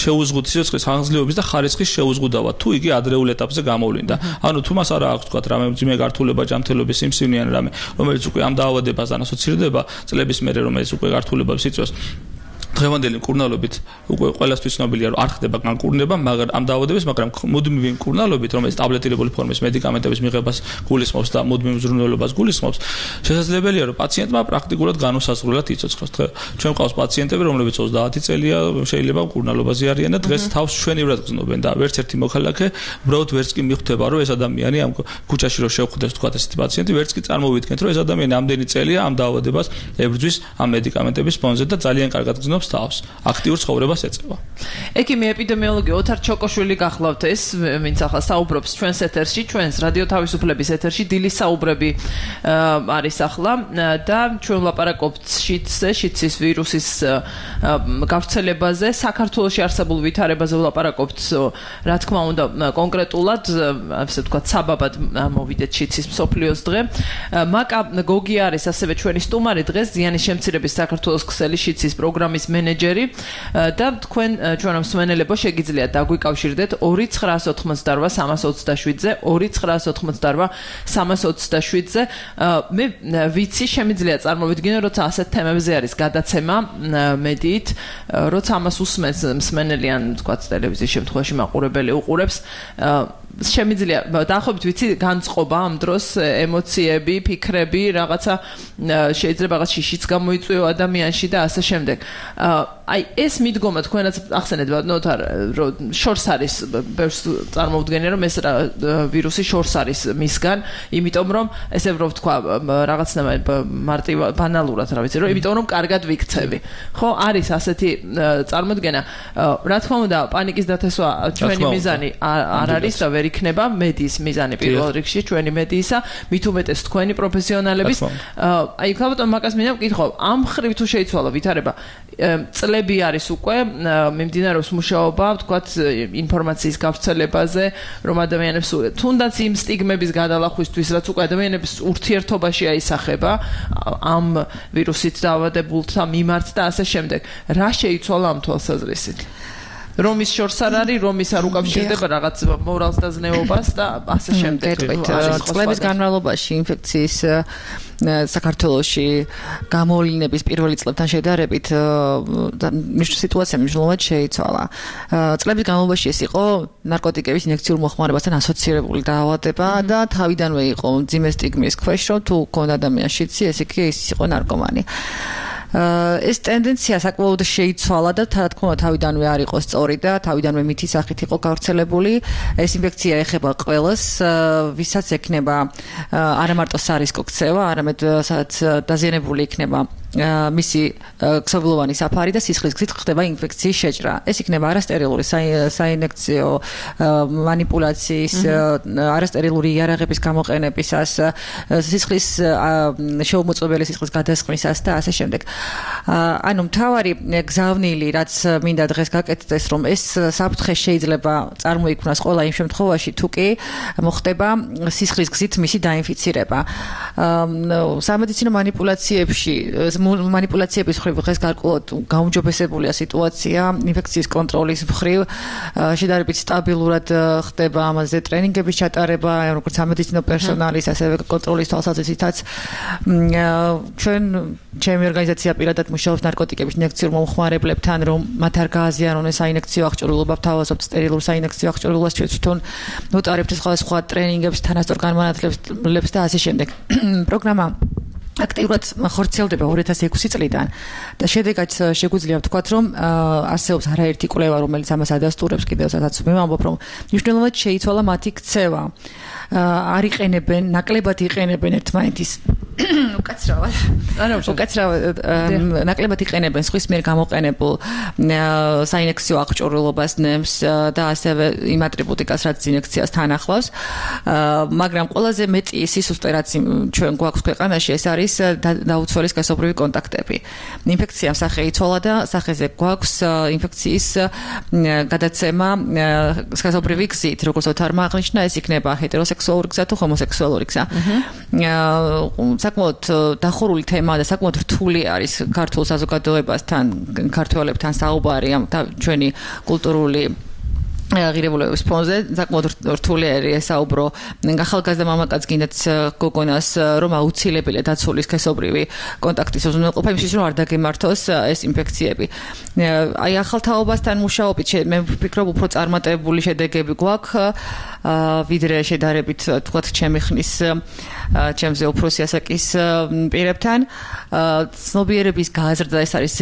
შეუზღუდ სიცოცხლის ხანგრძლივობის და ხარისხის შეუზღუდავა, თუ იგი ადრეულ ეტაპზე გამოვლინდა. ანუ თუ მას არ აქვს თქვა რამე მძიმე გართულება ჯანმრთელობის სიმსივნე ან რამე, რომელიც უკვე ამ დაავადებასთან ასოცირდება წლების მერე, რომელიც უკვე გართულებებს იწვევს. დღევანდელი მკურნალობით უკვე ყველასთვის ცნობილია, რომ არ ხდება განკურნება, მაგრამ ამ დაავადებას, მაგრამ მუდმივი მკურნალობით, რომელიც ტაბლეტირებული ფორმის მედიკამენტების მიღებას გულისხმობს და მუდმივ მზრუნველობას გულისხმობს, შესაძლებელია, რომ პაციენტმა პრაქტიკულად განუსაზღვრელად იცოცხლოს. ჩვენ ყავს პაციენტები, რომლებიც ოცდაათი წელია, შეიძლება მკურნალობაზე არიან და დღეს თავს ჩვენივრად გრძნობენ და ვერც ერთი მოქალაქე ბროდ ვერც კი მიხვდება, რომ ეს ადამიანი ამ ქუჩაში რო შევხვდეს თქვა ესეთი პაციენტი, ვერც კი წარმოვიდგენთ, რომ ეს ადამიანი ამდენი წელია ამ დაავადებას ებრძვის ამ მედიკამენტების ფონზე და ძალიან კარგად გრძნობს თავს, აქტიურ ცხოვრებას ეწევა. ექიმი ეპიდემიოლოგი ოთარ ჩოკოშვილი გახლავთ ეს, ვინც ახლა საუბრობს ჩვენს ეთერში, ჩვენს რადიო თავისუფლების ეთერში, დილის საუბრები არის ახლა და ჩვენ ვლაპარაკობთ შიდზე, შიდსის ვირუსის გავრცელებაზე, საქართველოში არსებულ ვითარებაზე ვლაპარაკობთ, რა თქმა უნდა, კონკრეტულად, ასე ვთქვათ, საბაბად მოვიდეთ შიდსის მსოფლიოს დღე. მაკა გოგი არის ასევე ჩვენი სტუმარი დღეს, ზიანის შემცირების საქართველოს ქსელი შიდსის პროგრამის მენეჯერი და თქვენ ჩვენო მსმენელებო შეგიძლიათ დაგვიკავშირდეთ ორი ცხრაას ოთხმოცდაოთხ სამას ოცდაშვიდზე ორი ცხრაას ოთხმოცდაოთხ სამას ოცდაშვიდზე მე ვიცი შემიძლია წარმოვიდგინო როცა ასეთ თემებზე არის გადაცემა მედიით როცა ამას უსმენს მსმენელი ან თქვათ ტელევიზიის შემთხვევაში მაყურებელი უყურებს შემიძლია დაახლოებით ვიცი განწყობა ამ დროს ემოციები, ფიქრები, რაღაცა შეიძლება რაღაც შიშიც გამოიწვიო ადამიანში და ასე შემდეგ. აი ეს მიდგომა თქვენაც ახსენეთ ბატონოთარ რომ შორს არის ბევრს წარმოვდგენია რომ ეს ვირუსი შორს არის მისგან, იმიტომ რომ ესე რომ თქვა რაღაცნაირად მარტივ ბანალურად რა ვიცი რომ იმიტომ რომ კარგად ვიქცევი. ხო, არის ასეთი წარმოდგენა. რა თქმა უნდა, პანიკის დათესვა ჩვენი მიზანი არ არის და ვერ იქნება მედიის მიზანი პირველ რიგში ჩვენი მედიისა, მით უმეტეს თქვენი პროფესიონალების. აი ქალბატონ მაკას მინდა ვკითხო, ამ ხრივ თუ შეიცვალა ვითარება წლები არის უკვე მიმდინარეობს მუშაობა, ვთქვათ, ინფორმაციის გავრცელებაზე, რომ ადამიანებს თუნდაც იმ სტიგმების გადალახვისთვის, რაც უკვე ადამიანებს ურთიერთობაში აისახება ამ ვირუსით დაავადებულთა მიმართ და ასე შემდეგ. რა შეიცვალა ამ თვალსაზრისით? რომის შორს არ არის, რომის არ უკავშირდება რაღაც მორალს და ზნეობას და ასე შემდეგ. წლების განმავლობაში ინფექციის საქართველოში გამოვლინების პირველი წლებთან შედარებით სიტუაცია მნიშვნელოვნად შეიცვალა. წლების განმავლობაში ეს იყო ნარკოტიკების ინიექციურ მოხმარებასთან ასოცირებული დაავადება და თავიდანვე იყო მძიმე სტიგმის ქვეშ, რომ თუ გქონდა ადამიანს შიდსი, ეს იგი ის იყო ნარკომანი. ეს ტენდენცია საკმაოდ შეიცვალა და რა თქმა უნდა თავიდანვე არ იყო სწორი და თავიდანვე მითი სახით იყო გავრცელებული. ეს ინფექცია ეხება ყველას, ვისაც ექნება არა მარტო სარისკო ქცევა, არამედ სადაც დაზიანებული იქნება მისი ქსოვილოვანი საფარი და სისხლის გზით ხდება ინფექციის შეჭრა. ეს იქნება არასტერილური საინფექციო მანიპულაციის, არასტერილური იარაღების გამოყენებისას, სისხლის შეუმოწმებელი სისხლის გადასხმისას და ასე შემდეგ. ანუ მთავარი გზავნილი, რაც მინდა დღეს გაკეთდეს, რომ ეს საფრთხე შეიძლება წარმოიქმნას ყველა იმ შემთხვევაში, თუ კი მოხდება სისხლის გზით მისი დაინფიცირება. სამედიცინო მანიპულაციებში манипуляციების მხრივ დღეს გარკვეულად გაუმჯობესებულია სიტუაცია ინფექციის კონტროლის მხრივ შედარებით სტაბილურად ხდება ამაზე ტრენინგების ჩატარება როგორც სამედიცინო პერსონალის ასევე კონტროლის თვალსაზრისითაც ჩვენ ჩემი ორგანიზაცია პირადად მუშაობს ნარკოტიკების ინიექციურ მომხმარებლებთან რომ მათ არ გააზიანონ საინექციო აღჭურვილობა ვთავაზობთ სტერილურ საინექციო აღჭურვილობას ჩვენ თვითონ ვუტარებთ სხვადასხვა ტრენინგებს თანასწორ განმანათლებლებს და ასე შემდეგ პროგრამა აქტიურად ხორციელდება ორი ათას ექვსი წლიდან და შედეგად შეგვიძლია ვთქვათ, რომ არსებობს არაერთი კვლევა, რომელიც ამას ადასტურებს კიდევ სადაც მე ვამბობ, რომ მნიშვნელოვნად შეიცვალა მათი ქცევა. არ იყენებენ, ნაკლებად იყენებენ ერთმანეთის უკაცრავად. არა, უკაცრავად ნაკლებად იყენებენ სხვის მიერ გამოყენებულ საინექციო აღჭურვილობას ნემს და ასევე იმ ატრიბუტიკას, რაც ინექციას თან ახლავს. მაგრამ ყველაზე მეტი სისუსტე, რაც ჩვენ გვაქვს ქვეყანაში, ეს არის დაუცველი სქესობრივი კონტაქტები. ინფექცია სახე იცვალა და სახეზე გვაქვს ინფექციის გადაცემა სქესობრივი გზით, როგორც ოთარმა აღნიშნა, ეს იქნება ჰეტეროსექსუალური გზა თუ ჰომოსექსუალური გზა. საკმაოდ დახურული თემაა და საკმაოდ რთული არის ქართულ საზოგადოებასთან, ქართველებთან საუბარი ამ ჩვენი კულტურული ღირებულებების ფონზე. საკმაოდ რთული არის ესაუბრო ახალგაზრდა მამაკაც გინდათ გოგონას, რომ აუცილებელია დაცული სქესობრივი კონტაქტის უზრუნველყოფა იმისთვის, რომ არ დაგემართოს ეს ინფექციები. აი ახალთაობასთან მუშაობით მე ვფიქრობ, უფრო წარმატებული შედეგები გვაქვს, ვიდრე შედარებით თქვათ ჩემი ხნის ჩემზე უფროსი ასაკის პირებთან. ცნობიერების გაზრდა ეს არის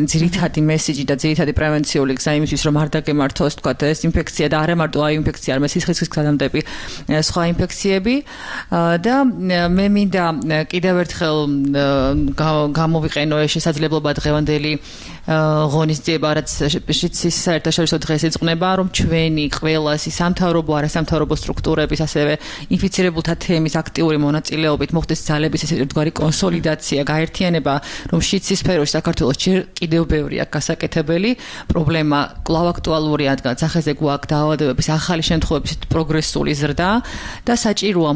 ძირითადი მესიჯი და ძირითადი პრევენციული გზა იმისთვის, რომ არ დაგემართოს თქვათ ეს ინფექცია და არა მარტო აი ინფექცია, არამედ სისხლის გზადამდები სხვა ინფექციები. და მე მინდა კიდევ ერთხელ გამოვიყენო ეს შესაძლებლობა დღევანდელი ღონისძიება, რაც შიცის საერთაშორისო დღეს ეძღვნება, რომ ჩვენი ყველასი სამთავრობო, არასამთავრობო სტრუქტურების, ასევე ინფიცირებულთა თემის აქტიური მონაწილეობით მოხდეს ძალების ეს ერთგვარი კონსოლიდაცია, გაერთიანება, რომ შიცის სფეროში საქართველოს კიდევ ბევრი აქვს გასაკეთებელი, პრობლემა კვლავ აქტუალურია, რადგან სახეზე გვაქვს დაავადებების ახალი შემთხვევების პროგრესული ზრდა და საჭიროა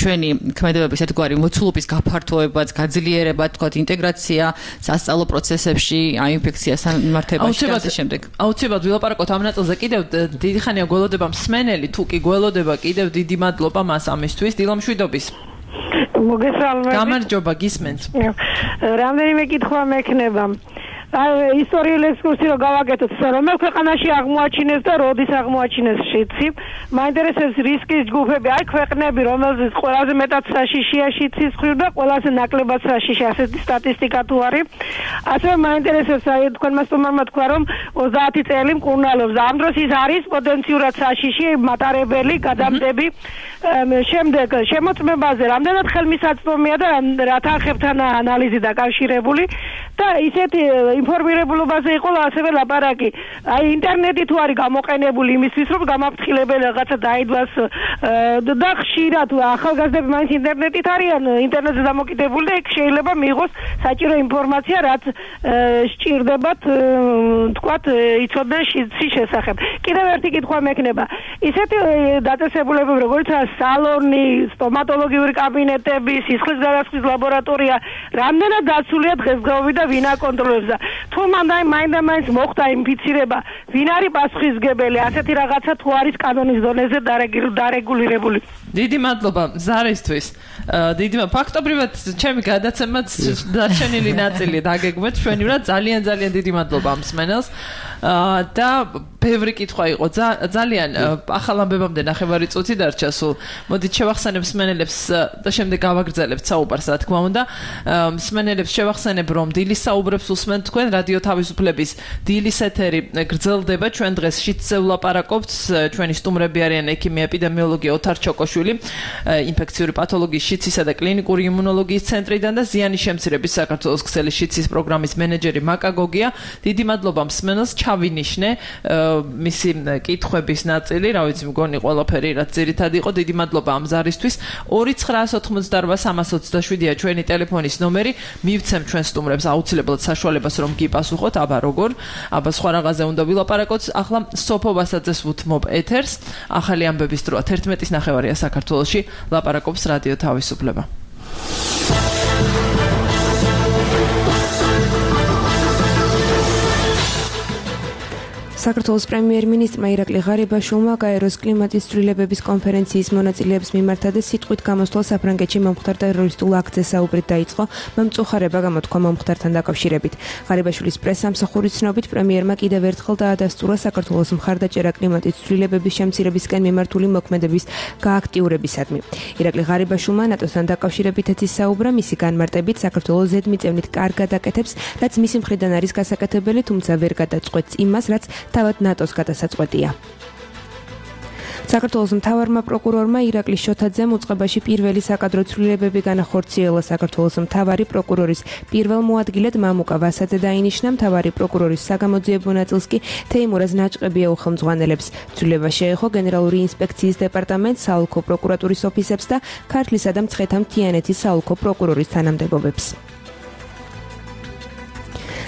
ჩვენი ქმედებების ერთგვარი მოცულობის გაფართოებაც, გაძლიერება, თქვათ ინტეგრაცია სასწავლო პროცესებში, აი ინფექციასთან მიმართებაში და ამ შემდეგ. აუცილებლად ვილაპარაკოთ ამ ნაწილზე კიდევ დიდი ხანია გველოდება მსმენელი, თუ კი გველოდება კიდევ დიდი მადლობა მას ამისთვის. დილა მშვიდობის. მოგესალმებით. გამარჯობა, გისმენთ. რამდენიმე კითხვა მექნება. ისტორიული ექსკურსი რო გავაკეთოთ, რომელ ქვეყანაში აღმოაჩინეს და როდის აღმოაჩინეს შიცი. მაინტერესებს რისკის ჯგუფები, აი ქვეყნები, რომელზეც ყველაზე მეტად საშიშია შიცის ხრივ და ყველაზე ნაკლებად საშიში, ასეთი სტატისტიკა თუ არის. ასევე მაინტერესებს, აი თქვენმა სტუმარმა თქვა, რომ ოცდაათი წელი მკურნალობს. ამ დროს ის არის პოტენციურად საშიში, მატარებელი, გადამდები. შემდეგ შემოწმებაზე რამდენად ხელმისაწვდომია და რა თანხებთან ანალიზი დაკავშირებული და ისეთი ინფორმირებულობაზე იყო ასევე ლაპარაკი. აი ინტერნეტი თუ არის გამოყენებული იმისთვის, რომ გამაფრთხილებელი რაღაცა დაიდვას და ხშირად ახალგაზრდები მაინც ინტერნეტით არიან, ინტერნეტზე დამოკიდებული და იქ შეიძლება მიიღოს საჭირო ინფორმაცია, რაც სჭირდებათ თქვათ იცოდნენ შიცის შესახებ. კიდევ ერთი კითხვა მექნება. ისეთი დაწესებულებები, როგორც სალონი, სტომატოლოგიური კაბინეტები, სისხლის გადასხვის ლაბორატორია, რამდენად დაცულია დღესდღეობით და ვინ აკონტროლებს და თუ მანდა მაინდა-მაინც მოხდა ინფიცირება, ვინ არის პასუხისმგებელი, ასეთი რაღაცა თუ არის კანონის დონეზე დარეგულირებული. დიდი მადლობა ზარისთვის. დიდი ფაქტობრივად ჩემი გადაცემაც დარჩენილი ნაწილი დაგეგმეთ ჩვენივრად. ძალიან ძალიან დიდი მადლობა ამ მსმენელს. და ბევრი კითხვა იყო. ძალიან ახალ ამბებამდე ნახევარი წუთი დარჩა სულ. მოდით შევახსენებ მსმენელებს და შემდეგ გავაგრძელებთ საუბარს, რა თქმა უნდა. მსმენელებს შევახსენებ, რომ დილის საუბრებს უსმენთ თქვენ რადიო თავისუფლების დილის ეთერი გრძელდება. ჩვენ დღეს შიცზე ვლაპარაკობთ. ჩვენი სტუმრები არიან ექიმი ეპიდემიოლოგი ოთარ ჩოკოშვილი, ინფექციური პათოლოგიის შიცისა და კლინიკური იმუნოლოგიის ცენტრიდან და ზიანის შემცირების საქართველოს ქსელის შიცის პროგრამის მენეჯერი მაკა გოგია. დიდი მადლობა მსმენელს, ჩავინიშნე მისი კითხვების ნაწილი, რა ვიცი, მგონი ყველაფერი რაც ძირითადად იყო. დიდი მადლობა ამ ზარისთვის. ორი ცხრაას ოცდაოთხმოცდაარბა სამას ოცდაშვიდია ჩვენი ტელეფონის ნომერი. მივცემ ჩვენ სტუმრებს აუცილებლად საშუალებას, რომ გიპასუხოთ, აბა როგორ, აბა სხვა რაღაცზე უნდა ვილაპარაკოთ. ახლა სოფო ვასაძეს ვუთმობ ეთერს. ახალი ამბების დროა თერთმეტის ნახევარია საქართველოში, ლაპარაკობს რადიო თავისუფლება. საქართველოს პრემიერ-მინისტრმა ირაკლი ღარიბაშვილმა გაეროს კლიმატის ცვლილებების კონფერენციის მონაწილეებს მიმართა და სიტყვით გამოსვლა საფრანგეთში მომხდარ ტერორისტულ აქტზე საუბრით დაიწყო მომწუხარება გამოთქვა მომხდართან დაკავშირებით. ღარიბაშვილის პრესსამსახურის ცნობით პრემიერმა კიდევ ერთხელ დაადასტურა საქართველოს მხარდაჭერა კლიმატის ცვლილებების შემცირებისკენ მიმართული მოქმედების გააქტიურებისადმი. ირაკლი ღარიბაშვილმა ნატოსთან დაკავშირებითაც ისაუბრა, მისი განმარტებით საქართველოს ზედმიწევნით კარგად აკეთებს, რაც მისი მხრიდან არის გასაკეთებელი, თუმცა ვერ გადაწყვეტს იმას, რაც თავად ნატოს გადასაწყვეტია. საქართველოს მთავარმა პროკურორმა ირაკლი შოთაძემ უწყებაში პირველი საკადრო ცვლილებები განახორციელა. საქართველოს მთავარი პროკურორის პირველ მოადგილედ მამუკა ვასაძე დაინიშნა. მთავარი პროკურორის საგამოძიებო ნაწილს კი თეიმურაზ ნაჭყებია უხელმძღვანელებს. ცვლილება შეეხო გენერალური ინსპექციის დეპარტამენტს, საოლქო პროკურატურის ოფისებს და ქართლისა და მცხეთა მთიანეთის საოლქო პროკურორის თანამდებობებს.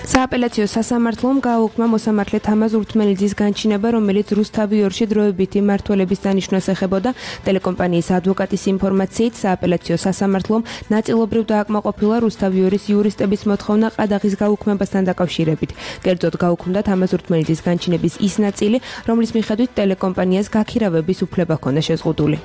სააპელაციო სასამართლომ გააუქმა მოსამართლე თამაზ ურთმელიძის განჩინება, რომელიც რუსთავიორში დროებითი მმართველობის დანიშვნას ეხებოდა. ტელეკომპანიის ადვოკატის ინფორმაციით, სააპელაციო სასამართლომ ნაწილობრივ დააკმაყოფილა რუსთავიორის იურისტების მოთხოვნა ყადაღის გაუქმებასთან დაკავშირებით. კერძოდ გაუქმდა თამაზ ურთმელიძის განჩინების ის ნაწილი, რომლის მიხედვით ტელეკომპანიას გაქირავების უფლება ჰქონდა შეზღუდული.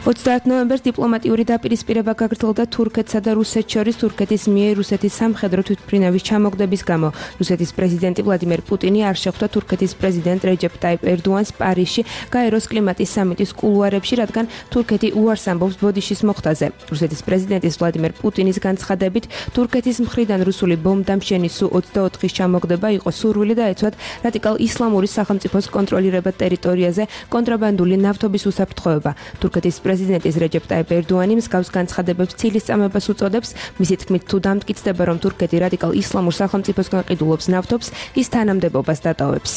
ოცდაათ ნოემბერს დიპლომატიური დაპირისპირება გაგრძელდა თურქეთსა და რუსეთს შორის თურქეთის მიერ რუსეთის სამხედრო თვითმფრინავის ჩამოგდების გამო. რუსეთის პრეზიდენტი ვლადიმერ პუტინი არ შეხვდა თურქეთის პრეზიდენტ რეჯეპ ტაიპ ერდოანს პარიზში გაეროს კლიმატის სამიტის კულუარებში, რადგან თურქეთი უარს ამბობს ბოდიშის მოხდაზე. რუსეთის პრეზიდენტის ვლადიმერ პუტინის განცხადებით, თურქეთის მხრიდან რუსული ბომბდამშენის სუ ოცდაოთხის ჩამოგდება იყო სურვილი და ეცვათ რადიკალ ისლამური სახელმწიფოს კონტროლირებად ტერიტორიაზე კონტრაბანდული ნავთობის უსაფრთხოება. თურქეთის პრეზიდენტის რეჯეპ ტაიპ ერდოანი მსგავს განცხადებებს ცილისწამებას უწოდებს. მისი თქმით, თუ დამტკიცდება, რომ თურქეთი რადიკალ ისლამურ სახელმწიფოსგან ყიდულობს ნავთობს, ის თანამდებობას დატოვებს.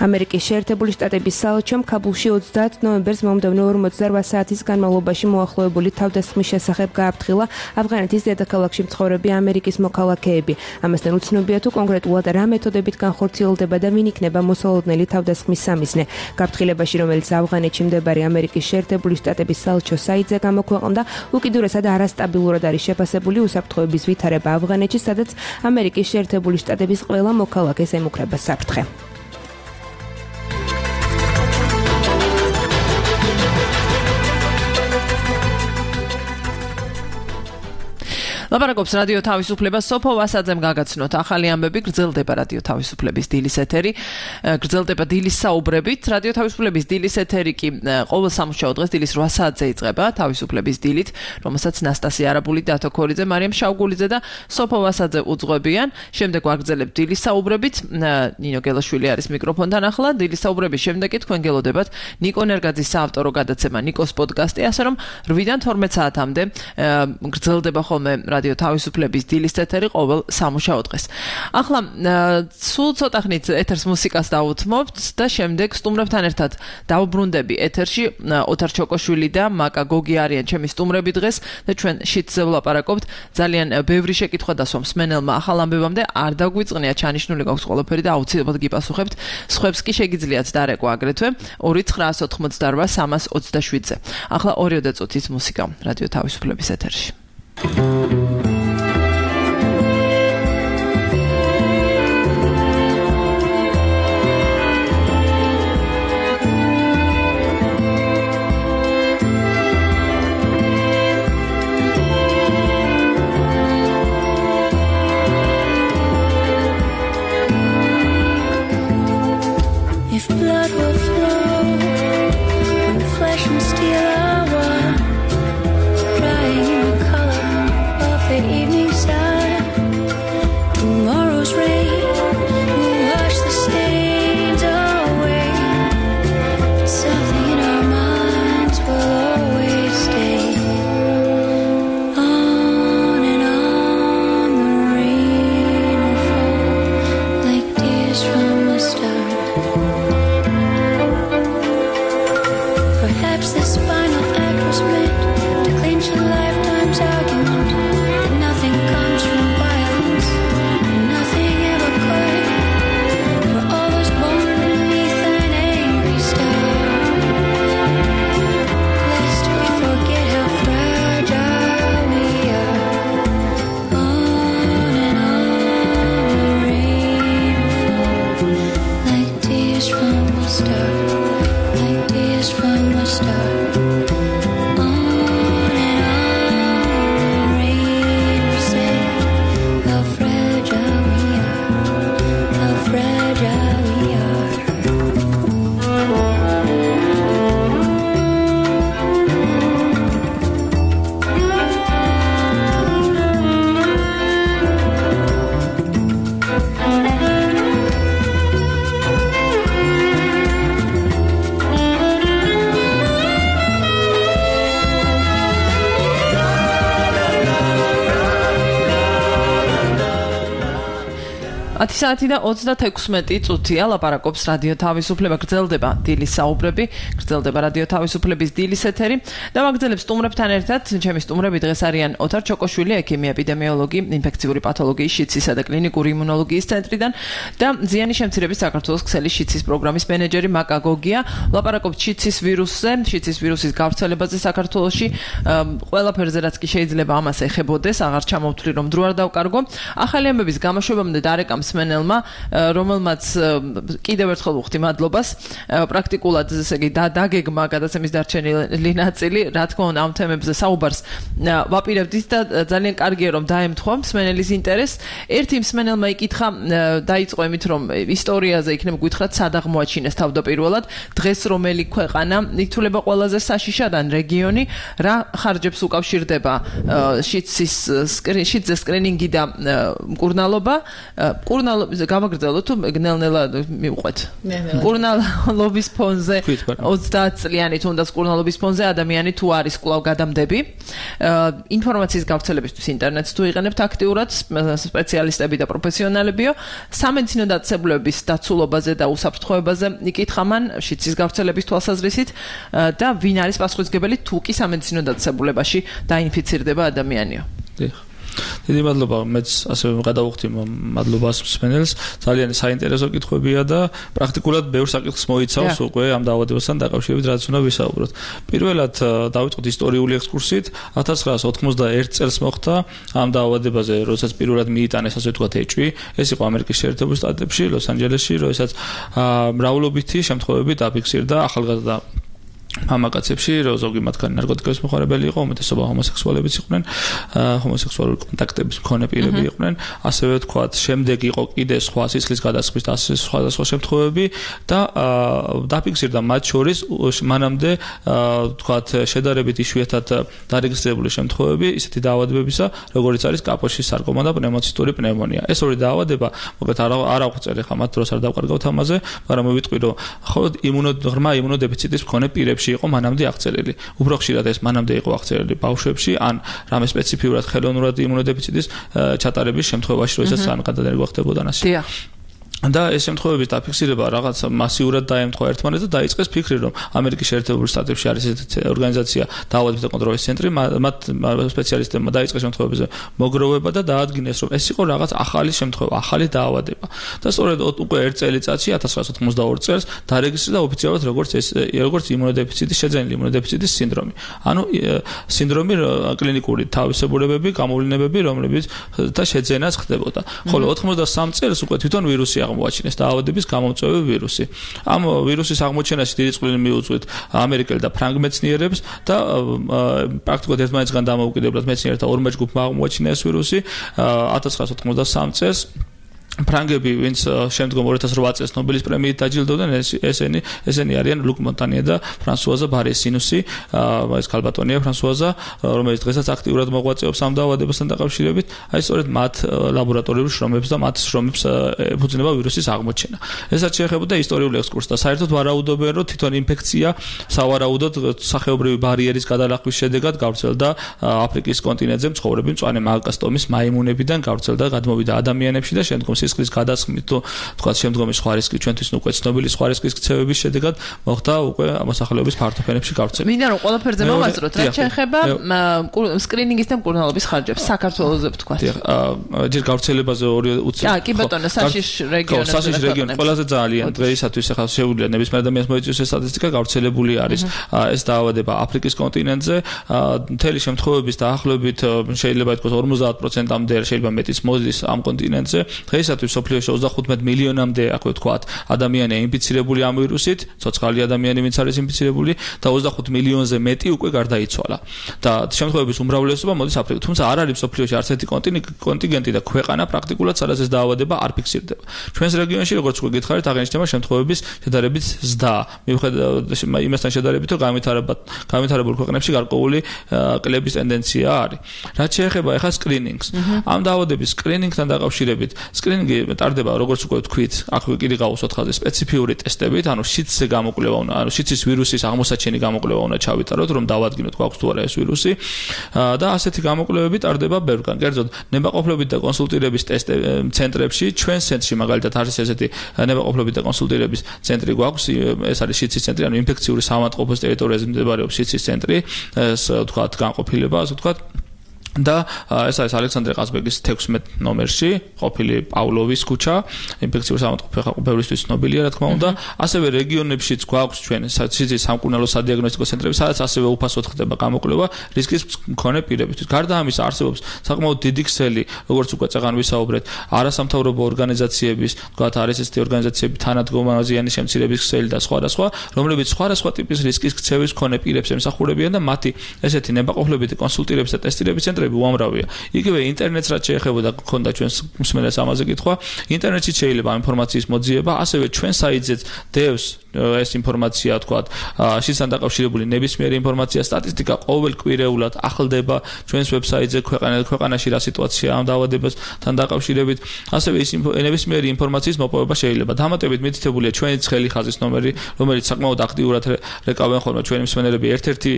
ამერიკის შეერთებული შტატების საელჩომ ქაბულში ოცდაათ ნოემბერს მომდევნო ორმოცდაოთხ საათის განმავლობაში მოახლოებული თავდასხმის შესახებ გააფრთხილა ავღანეთის დედაქალაქში მცხოვრები ამერიკის მოქალაქეები. ამასთან უცნობია, თუ კონკრეტულად რა მეთოდებით განხორციელდება და ვინ იქნება მოსალოდნელი თავდასხმის სამიზნე. გაფრთხილებაში, რომელიც ავღანეთში მდებარე ამერიკის შეერთებული შტატების საელჩო საიტზე გამოქვეყნდა, უკიდურესად არასტაბილურად არის შეფასებული უსაფრთხოების ვითარება ავღანეთში, სადაც ამერიკის შეერთებული შტატების ყველა მოქალაქეს ემუქრება საფრთხე. ლაპარაკობს რადიო თავისუფლება. სოფო ვასაძემ გაგაცნოთ ახალი ამბები, გრძელდება რადიო თავისუფლების დილის ეთერი. გრძელდება დილის საუბრებით. რადიო თავისუფლების დილის ეთერი კი ყოველ სამუშაო დღეს დილის რვა საათზე იწყება თავისუფლების დილით, რომელსაც ნასტასია არაბული, დათო ქორიძე, მარიამ შავგულიძე და სოფო ვასაძე უძღვებიან. შემდეგ ვაგრძელებთ დილის საუბრებით. ნინო გელაშვილი არის მიკროფონთან ახლა. დილის საუბრების შემდეგ კი თქვენ გელოდებათ ნიკო ნერგაძის საავტორო გადაცემა ნიკოს პოდკასტი, ასე რომ რვიდან თორმეტ საათამდე გრძელდება ხოლმე რადიო თავისუფლების დილის ეთერი ყოველ სამუშაო დღეს. ახლა სულ ცოტა ხნით ეთერს მუსიკას დავუთმობთ და შემდეგ სტუმრებთან ერთად დავბრუნდები ეთერში. ოთარ ჩოკოშვილი და მაკა გოგი არიან ჩემი სტუმრები დღეს და ჩვენ შიტზე ვლაპარაკობთ. ძალიან ბევრი შეკითხვა დასვამს მსმენელმა ახალ ამბებამდე არ დაგვიწყნია, ჩანიშნული გვაქვს ყველაფერი და აუცილებლად გიპასუხებთ. სხვებს კი შეგიძლიათ დარეკვა აგრეთვე ორი ცხრაას ოთხმოცდარვა სამას ოცდაშვიდზე. ახლა ორიოდე წუთის მუსიკა რადიო თავისუფლების ეთერში. If blood will flow when flesh and steel are one, drying in the color of the ათი საათი და ოცდათექვსმეტი წუთია ლაპარაკობს რადიო თავისუფლება, გრძელდება დილის საუბრები, გრძელდება რადიო თავისუფლების დილის ეთერი და მაგძელებს სტუმრებთან ერთად ჩემი სტუმრები დღეს არიან ოთარ ჩოკოშვილი, ექიმი, ეპიდემიოლოგი, ინფექციური პათოლოგიის, შიცისა და კლინიკური იმუნოლოგიის ცენტრიდან და ზიანი შემცირების საქართველოს ქსელის შიცის პროგრამის მენეჯერი მაკა გოგია. ლაპარაკობთ შიცის ვირუსზე, შიცის ვირუსის გავრცელებაზე საქართველოში, ყველაფერზე რაც კი შეიძლება ამას ეხებოდეს, აღარ ჩამოვთვლი რომ დრო არ დავკარგო. ახალი ამბების გამოშვებამდე დარეკა მსმენელმა, რომელმაც კიდევ ერთხელ ვუხდი მადლობას, პრაქტიკულად ესე იგი დაგეგმა გადაცემის დარჩენილი ნაწილი, რა თქმა უნდა ამ თემებზე საუბარს ვაპირებდით და ძალიან კარგია რომ დაემთხვა მსმენელის ინტერესს. ერთი მსმენელმა იკითხა, დაიწყო იმით რომ ისტორიაზე იქნებ გითხრათ სად აღმოაჩინეს თავდაპირველად, დღეს რომელი ქვეყანა ითვლება ყველაზე საშიშად ან რეგიონი, რა ხარჯებს უკავშირდება შიცის შიცის სკრინინგი და მკურნალობა. მკურნალობის გავაგრძელოთ თუ ნელ-ნელა მივყვეთ. მკურნალობის ფონზე ოცდაათ წლიანი თუნდაც მკურნალობის ფონზე ადამიანი თუ არის კვლავ გადამდები. ინფორმაციის გავრცელებისთვის ინტერნეტს თუ იყენებთ აქტიურად, სპეციალისტები და პროფესიონალებიო, სამედიცინო დაწესებულების დაცულობაზე და უსაფრთხოებაზე იკითხა მან შიცის გავრცელების თვალსაზრისით და ვინ არის პასუხისმგებელი თუ კი სამედიცინო დაწესებულებაში დაინფიცირდება ადამიანიო. დიდი მადლობა, მეც ასევე გადავუხდი მადლობას მსმენელს. ძალიან საინტერესო კითხვებია და პრაქტიკულად ბევრ საკითხს მოიცავს უკვე ამ დაავადებასთან დაკავშირებით, რაც უნდა ვისაუბროთ. პირველად დავიწყოთ ისტორიული ექსკურსით. ათას ცხრაას ოთხმოცდაერთ წელს მოხდა ამ დაავადებაზე, როდესაც პირველად მიიტანეს ასე ვთქვათ ეჭვი. ეს იყო ამერიკის შეერთებულ შტატებში, ლოს-ანჯელესში, როდესაც მრავლობითი შემთხვევები დაფიქსირდა ახალგაზრდა მამაკაცებში, ზოგი მათგანი ნარკოტიკების მოხარებელი იყო, უმეტესობა ჰომოსექსუალებიც იყვნენ, ჰომოსექსუალური კონტაქტების მქონე პირები იყვნენ, ასევე ვთქვათ, შემდეგ იყო კიდე სხვა სისხლის გადასხმის და სხვადასხვა შემთხვევები და დაფიქსირდა მათ შორის მანამდე ვთქვათ, შედარებით იშვიათად დარეგისტრირებული შემთხვევები ისეთი დაავადებებისა, როგორიც არის კაპოშის სარკომა და პნევმოცისტური პნევმონია. ეს ორი დაავადება, მოკლედ არ აღვწერ ხა მათ დროს არ დავკარგავთ ამაზე, მაგრამ მოვიტყვი რომ მხოლოდ იმუნოღრმა იმუნოდებიციტის მქონე პირები იყო მანამდე აღწერილი. უფრო ხშირად ეს მანამდე იყო აღწერილი ბავშვებში, ან რამე სპეციფიურად ხელოვნურად იმუნოდებიციტის ჩატარების შემთხვევაში, როდესაც ან გადადარგვა ხდებოდა ასე. დიახ. და ეს შემთხვევების დაფიქსირება რაღაც მასიურად დაემთხვა ერთმანეთს და დაიწყეს ფიქრი, რომ ამერიკის შეერთებულ შტატებში არის ესეთი ორგანიზაცია დაავადებათა კონტროლის ცენტრი, მათ სპეციალისტებმა დაიწყეს შემთხვევებზე მოგროვება და დაადგინეს, რომ ეს იყო რაღაც ახალი შემთხვევა, ახალი დაავადება. და სწორედ უკვე ერთ წელიწადში ათას ცხრაას ოთხმოცდაორ წელს დარეგისტრირდა ოფიციალურად როგორც ეს როგორც იმუნოდებიციტის შეძენილი იმუნოდებიციტის სინდრომი. ანუ სინდრომი კლინიკური თავისებურებები, გამოვლინებები, რომლებიც და შეძენაც ხდებოდა. ხოლო ოთხმოცდასამ წელს უკვე თვითონ ვირუსი აღმოაჩინეს დაავადების გამომწვევი ვირუსი. ამ ვირუსის აღმოჩენაში დიდი წვლილი მიუძღვით ამერიკელ და ფრანგ მეცნიერებს და პრაქტიკულად ერთმანეთისგან დამოუკიდებლად მეცნიერთა ორმა ჯგუფმა აღმოაჩინა ეს ვირუსი ათას ცხრაას ოთხმოცდასამ წელს. ფრანგები, ვინც შემდგომ ორი ათას რვა წელს ნობელის პრემიით დაჯილდოვდნენ, ესენი ესენი არიან ლუკ მონტანიე და ფრანსუაზა ბარესინუსი, ეს ქალბატონია ფრანსუაზა, რომელიც დღესაც აქტიურად მოღვაწეობს ამ დაავადებასთან დაკავშირებით. აი სწორედ მათ ლაბორატორიული შრომებს და მათ შრომებს ეფუძნება ვირუსის აღმოჩენა. ესაც შეეხებოდა ისტორიული ექსკურსი და საერთოდ ვარაუდობენ, რომ თვითონ ინფექცია სავარაუდოდ სახეობრივი ბარიერის გადალახვის შედეგად გავრცელდა აფრიკის კონტინენტზე მცხოვრები მწვანე მაკასტომის მაიმუნებიდან გავრცელდა, გადმოვიდა ადამიანებში და შემდგომ სისხლის გადასხმით თუ თქვა შემდგომი სხვა რისკი ჩვენთვის უკვე ცნობილი სხვა რისკის ქცევების შედეგად მოხდა უკვე მოსახლეობის ფართო ფენებში გავრცელება. მინდა რომ ყველაფერზე მოვაზროთ, რაც შეეხება სკრინინგის და მკურნალობის ხარჯებს საქართველოზე ვთქვა. ჯერ გავრცელებაზე ორი უცებ. აა, კი ბატონო, საშიშ რეგიონებში. საშიშ რეგიონი ყველაზე ძალიან დღეისათვის ახლა შეუძლია ნებისმიერ ადამიანს მოიწვიოს ეს სტატისტიკა, გავრცელებული არის ეს დაავადება აფრიკის კონტინენტზე. მთელი შემთხვევების დაახლოებით შეიძლება ითქვას ორმოცდაათ პროცენტამდე, შეიძლება მეტიც მოდის ამ კონტინენტზე. დღეისათვის სოფლიოში ოცდახუთმეტ მილიონამდე, ასე ვთქვათ, ადამიანია ინფიცირებული ამ ვირუსით, ცოცხალი ადამიანი ვინც არის ინფიცირებული და ოცდახუთ მილიონზე მეტი უკვე გარდაიცვალა. და შემთხვევების უმრავლესობა მოდის აფრიკიდან. თუმცა არ არის სოფლიოში არც ერთი კონტინენტი და ქვეყანა პრაქტიკულად სადაც ეს დაავადება არ ფიქსირდება. ჩვენს რეგიონში, როგორც უკვე გითხარით, აღინიშნება შემთხვევების შედარებით ზრდა. მიუხედავად იმასთან შედარებით, რომ განვითარებულ ქვეყნებში გარკვეული კლების ტენდენცია არის. რაც შეეხება ახლა სკრინინგს. ამ დაავადების სკრინინგთან დაკავშირებით, სკრინინგი სკრინინგი ტარდება როგორც უკვე ვთქვით, აქ კიდე გავუსვათ ხაზი სპეციფიური ტესტებით, ანუ შიცზე გამოკვლევა უნდა, ანუ შიცის ვირუსის აღმოსაჩენი გამოკვლევა უნდა ჩავიტაროთ, რომ დავადგინოთ გვაქვს თუ არა ეს ვირუსი და ასეთი გამოკვლევები ტარდება ბევრგან. კერძოდ, ნებაყოფლობით და კონსულტირების ტესტ ცენტრებში, ჩვენ ცენტრში მაგალითად არის ესეთი ნებაყოფლობით და კონსულტირების ცენტრი გვაქვს, ეს არის შიცის ცენტრი, ანუ ინფექციური საავადმყოფოს ტერიტორიაზე მდებარეობს შიცის ცენტრი, ეს ვთქვათ განყოფილება, ასე ვთქვათ. და ეს არის ალექსანდრე ყაზბეგის თექვსმეტ ნომერში, ყოფილი პავლოვის ქუჩა, ინფექციური საავადმყოფო ხალხო ბევრისთვის ცნობილია, რა თქმა უნდა. ასევე რეგიონებშიც გვაქვს ჩვენ შიცის სამკურნალო სადიაგნოსტიკო ცენტრები, სადაც ასევე უფასოდ ხდება გამოკვლევა რისკის მქონე პირებისთვის. გარდა ამისა, არსებობს საკმაოდ დიდი ქსელი, როგორც უკვე წეგან ვისაუბრეთ, არასამთავრობო ორგანიზაციების, თქვათ არის ესეთი ორგანიზაციები თანადგომა ზიანის შემცირების ქსელი და სხვა და სხვა, რომლებიც სხვადასხვა ტიპის რისკის ქცევის მქონე პირებს ემსახურებიან და მათი ესეთი ნებაყოფლობითი კონსულტირების და ტესტირების ცენტრები უამრავია. იგივე ინტერნეტს რაც შეეხებოდა გქონდა ჩვენს მსმენელს ამაზე კითხვა, ინტერნეტში შეიძლება ამ ინფორმაციის მოძიება, ასევე ჩვენ საიტზეც დევს ეს ინფორმაცია, თქვათ, შიცთან დაკავშირებული ნებისმიერი ინფორმაცია, სტატისტიკა ყოველკვირეულად ახლდება ჩვენს ვებსაიტზე ქვეყანაში რა სიტუაციაა ამ დაავადებასთან დაკავშირებით, ასევე ის ნებისმიერი ინფორმაციის მოპოვება შეიძლება. დამატებით მითითებულია ჩვენი ცხელი ხაზის ნომერი, რომელიც საკმაოდ აქტიურად რეკავენ ხოლმე ჩვენი მსმენელები. ერთ-ერთი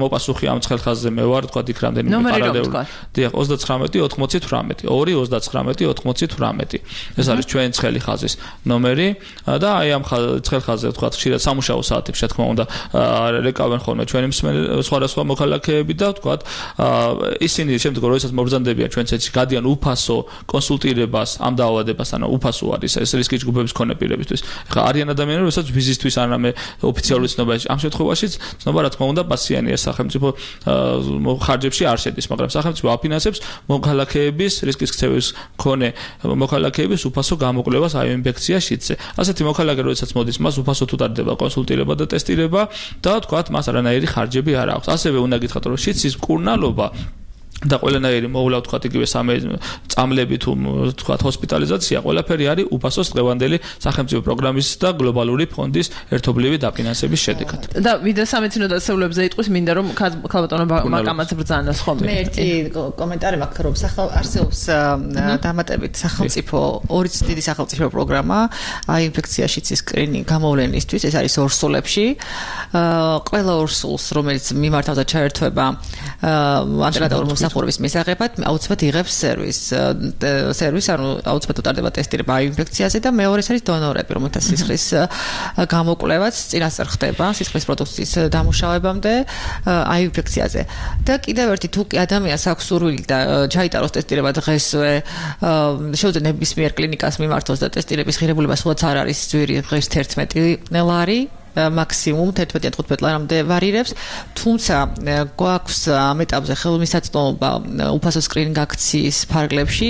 მოპასუხი ამ ცხელ ხაზზე მე ვარ, თქვათ, იქ რამდენიმე პარალელური. დიახ, ოცდაცხრამეტი ოთხმოცი თვრამეტი, ორი ოცდაცხრამეტი ოთხმოცი თვრამეტი. ეს არის ჩვენი ცხელი ხაზის ნომერი და აი ამ ცხელ ხაზზე ვთქვათ, ხშირად სამუშაო საათებში, რა თქმა უნდა, რეკავენ ხოლმე ჩვენი მსმენელები, სხვადასხვა მოქალაქეები და ვთქვათ, ისინი შემდგომ როდესაც მობრძანდებიან ჩვენ ცენტრში, გადიან უფასო კონსულტირებას ამ დაავადებასთან, უფასო არის ეს რისკის ჯგუფების მქონე პირებისთვის. ხა არიან ადამიანები, რომელსაც ვიზისთვის არამე ოფიციალური ცნობა, ამ შემთხვევაშიც ცნობა, რა თქმა უნდა, პასიანი ეს სახელმწიფო ხარჯებში არ შედის, მაგრამ სახელმწიფო აფინანსებს მოქალაქეების რისკის ქცევის მქონე მოქალაქეების უფასო გამოკვლევას აი ინფექცია შიცზე. ასეთი მოქალაქე, როდესაც მოდის, მას უფასო ტარდება კონსულტირება და ტესტირება და თქვათ, მას არანაირი ხარჯები არ აქვს. ასევე უნდა გითხრათ, რომ შიცის მკურნალობა და ყველანაირი მოვლა ვთქვათ იგივე სამე წამლები თუ ვთქვათ ჰოსპიტალიზაცია ყველაფერი არის უფასოს დღევანდელი სახელმწიფო პროგრამის და გლობალური ფონდის ერთობლივი დაფინანსების შედეგად. და ვიდრე სამეცნიერო დაწესებულებებზე იტყვის, მინდა რომ ქალბატონო მაკამაც ბრძანოს ხოლმე. მე ერთი კომენტარი მაქვს, რომ არსებობს დამატებით სახელმწიფო ორი დიდი სახელმწიფო პროგრამა აი ინფექცია შიცის სკრინინგ გამოვლენისთვის, ეს არის ორსულებში. ყველა ორსულს, რომელიც მიმართავდა ჩაერთვება ანტენატური მსახურების მისაღებად, აუცილებლად იღებს სერვის. სერვის, ანუ აუცილებლად უტარდება ტესტირება აი ინფექციაზე და მეორეს არის დონორები, რომელთა სისხლის გამოკვლევაც წინასწარ ხდება სისხლის პროდუქციის დამუშავებამდე აი ინფექციაზე. და კიდევ ერთი თუ კი ადამიანს აქვს სურვილი და ჩაიტაროს ტესტირება დღესვე, შეუძლია ნებისმიერ კლინიკას მიმართოს და ტესტირების ღირებულება სულაც არ არის ძვირი ღირს თერთმეტი ლარი. მაქსიმუმ თერთმეტი ან თხუთმეტი ლარამდე ვარირებს, თუმცა გვაქვს ამ ეტაპზე ხელმისაწვდომობა უფასო სკრინინგ აქციის ფარგლებში.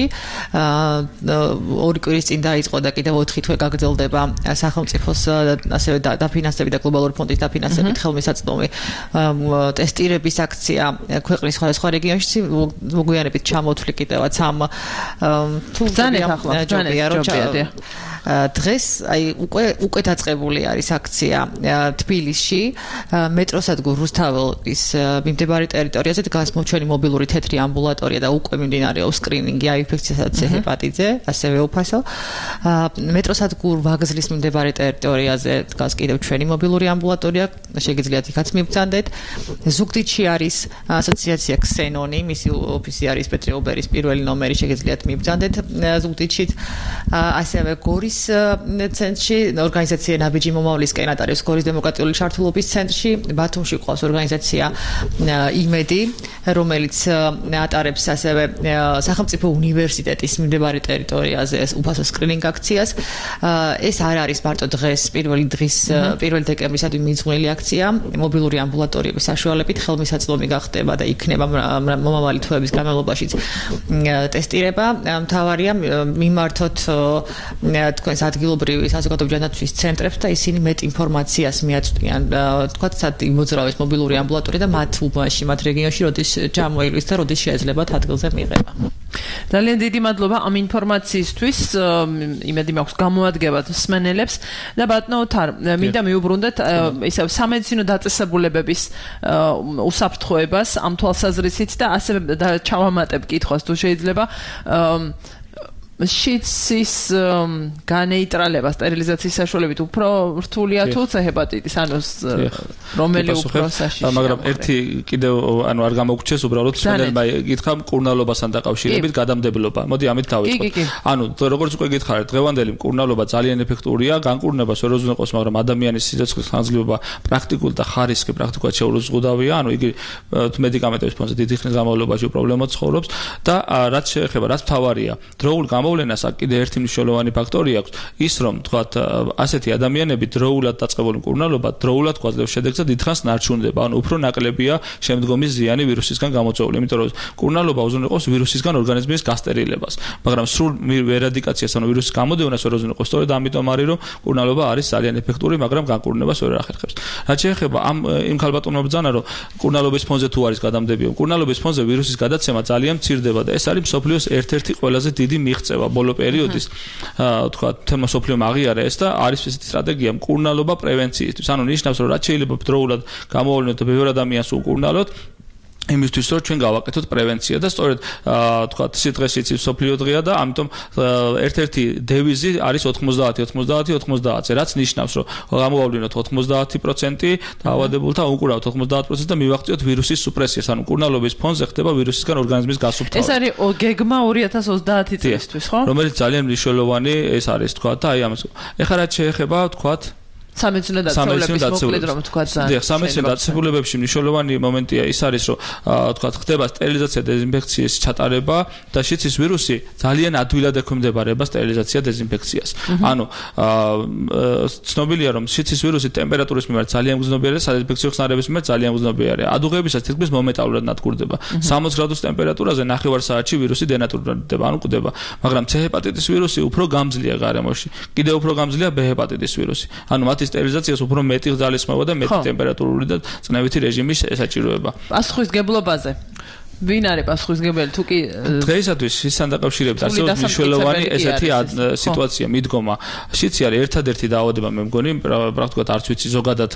ორი კვირის წინ დაიწყო და კიდევ ოთხი თვე გაგრძელდება სახელმწიფოს ასევე დაფინანსებით და გლობალური ფონდის დაფინანსებით ხელმისაწვდომი ტესტირების აქცია ქვეყნის სხვადასხვა რეგიონში. მოგვიანებით ჩამოთვლი კიდევაც ამ თუ ძალიან ახლა დღეს აი უკვე უკვე დაწყებული არის აქცია თბილისში მეტროსადგურ რუსთაველის მიმდებარე ტერიტორიაზე დგას ჩვენი მობილური თეთრი ამბულატორია და უკვე მიმდინარეობს სკრინინგი აი ინფექციასა და ჰეპატიტზე, ასევე უფასო. მეტროსადგურ ვაგზლის მიმდებარე ტერიტორიაზე დგას კიდევ ჩვენი მობილური ამბულატორია, შეგიძლიათ იქაც მიბრძანდეთ. ზუგდიდში არის ასოციაცია ქსენონი, მისი ოფისი არის პეტრე ობერის პირველი ნომერი, შეგიძლიათ მიბრძანდეთ ზუგდიდშიც. ასევე გორის ცენტრში ორგანიზაცია ნაბიჯი მომავლისკენ ატარებს გორის დემოკრატიული ჩართულობის ცენტრში. ბათუმში ყავს ორგანიზაცია იმედი, რომელიც ატარებს ასევე სახელმწიფო უნივერსიტეტის მიმდებარე ტერიტორიაზე უფასო სკრინინგ აქციას. ეს არ არის მარტო დღეს პირველი დღის პირველი დეკემბრისადმი მიძღვნილი აქცია. მობილური ამბულატორიების საშუალებით ხელმისაწვდომი გახდება და იქნება მომავალი თვეების განმავლობაშიც ტესტირება. მთავარია მიმართოთ თქვენს ადგილობრივი საზოგადოებრივი ცენტრებს და ისინი მეტ ინფორმაციას მიაწვდიან, თქვათ, სად იმოძრავეს მობილური ამბულატორია და მათ უბანში, მათ რეგიონში როდის ჩამოივლის და როდის შეეძლებათ ადგილზე მიღება. ძალიან დიდი მადლობა ამ ინფორმაციისთვის. იმედი მაქვს გამოადგებათ მსმენელებს და ბატონო თარ, მინდა მიუბრუნდეთ ისევ სამედიცინო დაწესებულებების უსაფრთხოებას ამ თვალსაზრისით და ასევე ჩავამატებ კითხვას თუ შეიძლება. შიცის განეიტრალება სტერილიზაციის საშუალებით უფრო რთულია თუ C ჰეპატიტის, ანუ რომელი უფრო საშიშია. მაგრამ ერთი კიდევ ანუ არ გამოგვრჩეს უბრალოდ სპეციალურმა გითხრა მკურნალობასთან დაკავშირებით გადამდებლობა. მოდი ამით დავიწყოთ. ანუ როგორც უკვე გითხარით, დღევანდელი მკურნალობა ძალიან ეფექტურია, განკურნებას ვერ უზრუნველყოფს, მაგრამ ადამიანის სიცოცხლის ხანგრძლივობა პრაქტიკულად და ხარისხი პრაქტიკულად შეურუზღუდავია, ანუ იგი მედიკამენტების ფონზე დიდი ხნის განმავლობაში პრობლემად ცხოვრობს და რაც შეეხება, რაც მთავარია, დროულ გამოვლენას კიდე ერთი მნიშვნელოვანი ფაქტორი აქვს, ის რომ თქვათ ასეთი ადამიანები დროულად დაწყებული მკურნალობა დროულად გვაძლევს შედეგს და დიდხანს ნარჩუნდება, ანუ უფრო ნაკლებია შემდგომი ზიანი ვირუსისგან გამოწვეული, იმიტომ რომ მკურნალობა უზრუნველყოფს ვირუსისგან ორგანიზმის გასტერილებას, მაგრამ სრულ ერადიკაციას, ანუ ვირუსის გამოდევნას ვერ უზრუნველყოფს, სწორედ ამიტომ არის რომ მკურნალობა არის ძალიან ეფექტური, მაგრამ განკურნებას ვერ ახერხებს. რაც შეეხება ამ იმ ქალბატონებს ბრძანა, რომ მკურნალობის ფონზე თუ არის გადამდებია, მკურნალობის ფონზე ვირუსის გადაცემა ძალიან მცირდება და ეს არის მსოფლიოს ერთ-ერთი ყველაზე დიდი მიღწევა ბოლო პერიოდის. თქვა თემა მსოფლიომ აღიარა ეს და არის ესეთი სტრატეგია მკურნალობა პრევენციისთვის. ანუ ნიშნავს რომ რაც შეიძლება დროულად გამოავლინოთ და ბევრ ადამიანს უკურნალოთ იმისთვის რომ ჩვენ გავაკეთოთ პრევენცია და სწორედ თქვა სიტყვის სიცი სოფლიო დღეა და ამიტომ ერთ-ერთი დევიზი არის ოცდაათი ოცდაათი ოცდაათი რაც ნიშნავს რომ გამოავლინოთ ოცდაათი პროცენტი დაავადებულთა უკურავთ ოცდაათი პროცენტი და მივაღწიოთ ვირუსის სუპრესიას ანუ მკურნალობის ფონზე ხდება ვირუსისგან ორგანიზმის გასუფთავება. ეს არის გეგმა ორი ათას ოცდაათი წლისთვის, ხო? რომელიც ძალიან მნიშვნელოვანი ეს არის თქვა და აი ამას. ეხლა რაც შეეხება თქვა სამედიცინო დაწესებულების მოკლედ რომ თქვა ძალიან. დიახ, სამედიცინო დაწესებულებებში მნიშვნელოვანი მომენტია ის არის, რომ თქვა ხდება სტერილიზაცია, დეზინფექციის ჩატარება და შიცის ვირუსი ძალიან ადვილად ექვემდებარება სტერილიზაცია, დეზინფექციას. ანუ ცნობილია რომ შიცის ვირუსი ტემპერატურის მიმართ ძალიან მგრძნობიარეა, სადეზინფექციო ხსნარების მიმართ ძალიან მგრძნობიარეა. ადუღებისას თითქმის მომენტალურად ნადგურდება. სამოცი გრადუს ტემპერატურაზე ნახევარ საათში ვირუსი დენატურდება, ანუ კვდება. მაგრამ C ჰეპატიტის ვირუსი უფრო გამძლეა გარემოში. კიდევ უფრო გამძლეა B ჰეპატიტის ვირუსი. ანუ მათი სტერილიზაციას უფრო მეტი ძალისხმევა და მეტი ტემპერატურული და წნევითი რეჟიმი ესაჭიროება. პასუხისგებლობაზე ვინ არის პასუხისგებელი თუ კი დღეისათვის ისთან დაკავშირებით ასევე მნიშვნელოვანი ესეთი სიტუაცია მიდგომა შიცი არის ერთადერთი დაავადება მე მგონი პრაქტიკულად არც ვიცი ზოგადად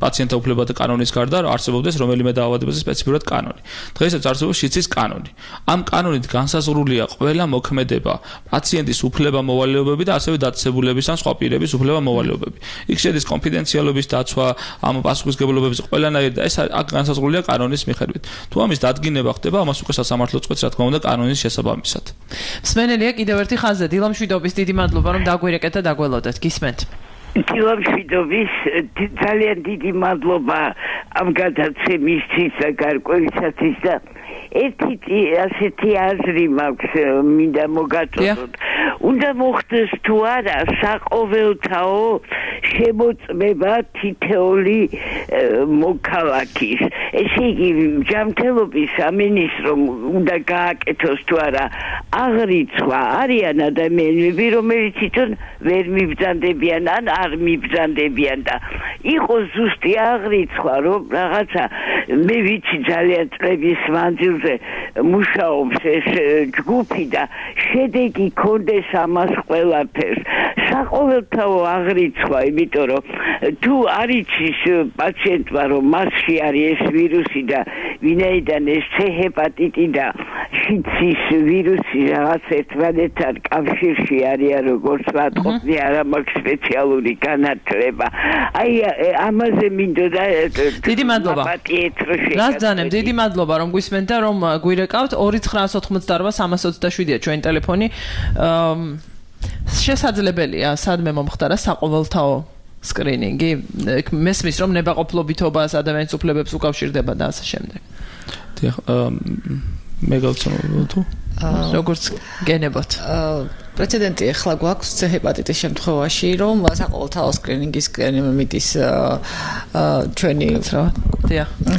პაციენტთა უფლებათა კანონის გარდა არსებობდეს რომელიმე დაავადებაზე სპეციფიურად კანონი. დღეისათვის არსებობს შიცის კანონი. ამ კანონით განსაზღვრულია ყველა მოქმედება, პაციენტის უფლება-მოვალეობები და ასევე დაწესებულების ან სხვა პირების უფლება-მოვალეობები. იქ შედის კონფიდენციალობის დაცვა, ამ პასუხისგებლობების ყველანაირი და ეს აქ განსაზღვრულია კანონის მიხედვით. თუ ამის დადგენა ხდება ამას უკვე სასამართლო წყვეტს რა თქმა უნდა კანონის შესაბამისად. მსმენელია კიდევ ერთი ხაზზე დილამშვიდობის დიდი მადლობა რომ დაგვირეკეთ და დაგველოდეთ. გისმენთ. დილამშვიდობის ძალიან დიდი მადლობა ამ გადაცემისთვის და გარკვევისათვის და ერთი ასეთი აზრი მაქვს მინდა მოგაწოდოთ. უნდა მოხდეს თუ არა საყოველთაო შემოწმება თითოეული მოქალაქის. ესე იგი ჯანმრთელობის სამინისტრომ უნდა გააკეთოს თუ არა აღრიცხვა არიან ადამიანები რომელიც თვითონ ვერ მიბრძანდებიან ან არ მიბრძანდებიან და იყოს ზუსტი აღრიცხვა რომ რაღაცა მე ვიცი ძალიან წლების მანძილზე მუშაობს ეს ჯგუფი და შედეგი კონდეს ამას ყველაფერს. საყოველთაო აღრიცხვა, იმიტომ რომ თუ არ იცის პაციენტმა რომ მასში არის ეს ვირუსი და ვინაიდან ეს C ჰეპატიტი და შიცის ვირუსი რაღაც ერთმანეთთან კავშირში არიან როგორც ვატყობდი არა მაქვს სპეციალური განათლება. აი ამაზე მინდოდა დიდი მადლობა. გასძანებ, დიდი მადლობა რომ გვისმენთ და რომ გვირეკავთ. ორი ცხრაას ოცდაოთხმოცდაარბა სამას ოცდაშვიდია ჩვენი ტელეფონი. შესაძლებელია სადმე მომხდარა საყოველთაო სკრინინგი. მესმის რომ ნებაყოფლობითობას ადამიანის უფლებებს უკავშირდება და ასე შემდეგ. დიახ, მე გავცნობ თუ როგორც გენებოთ. პრეცედენტი ახლა გვაქვს C ჰეპატიტის შემთხვევაში, რომ საყოველთაო სკრინინგის მიდის ჩვენი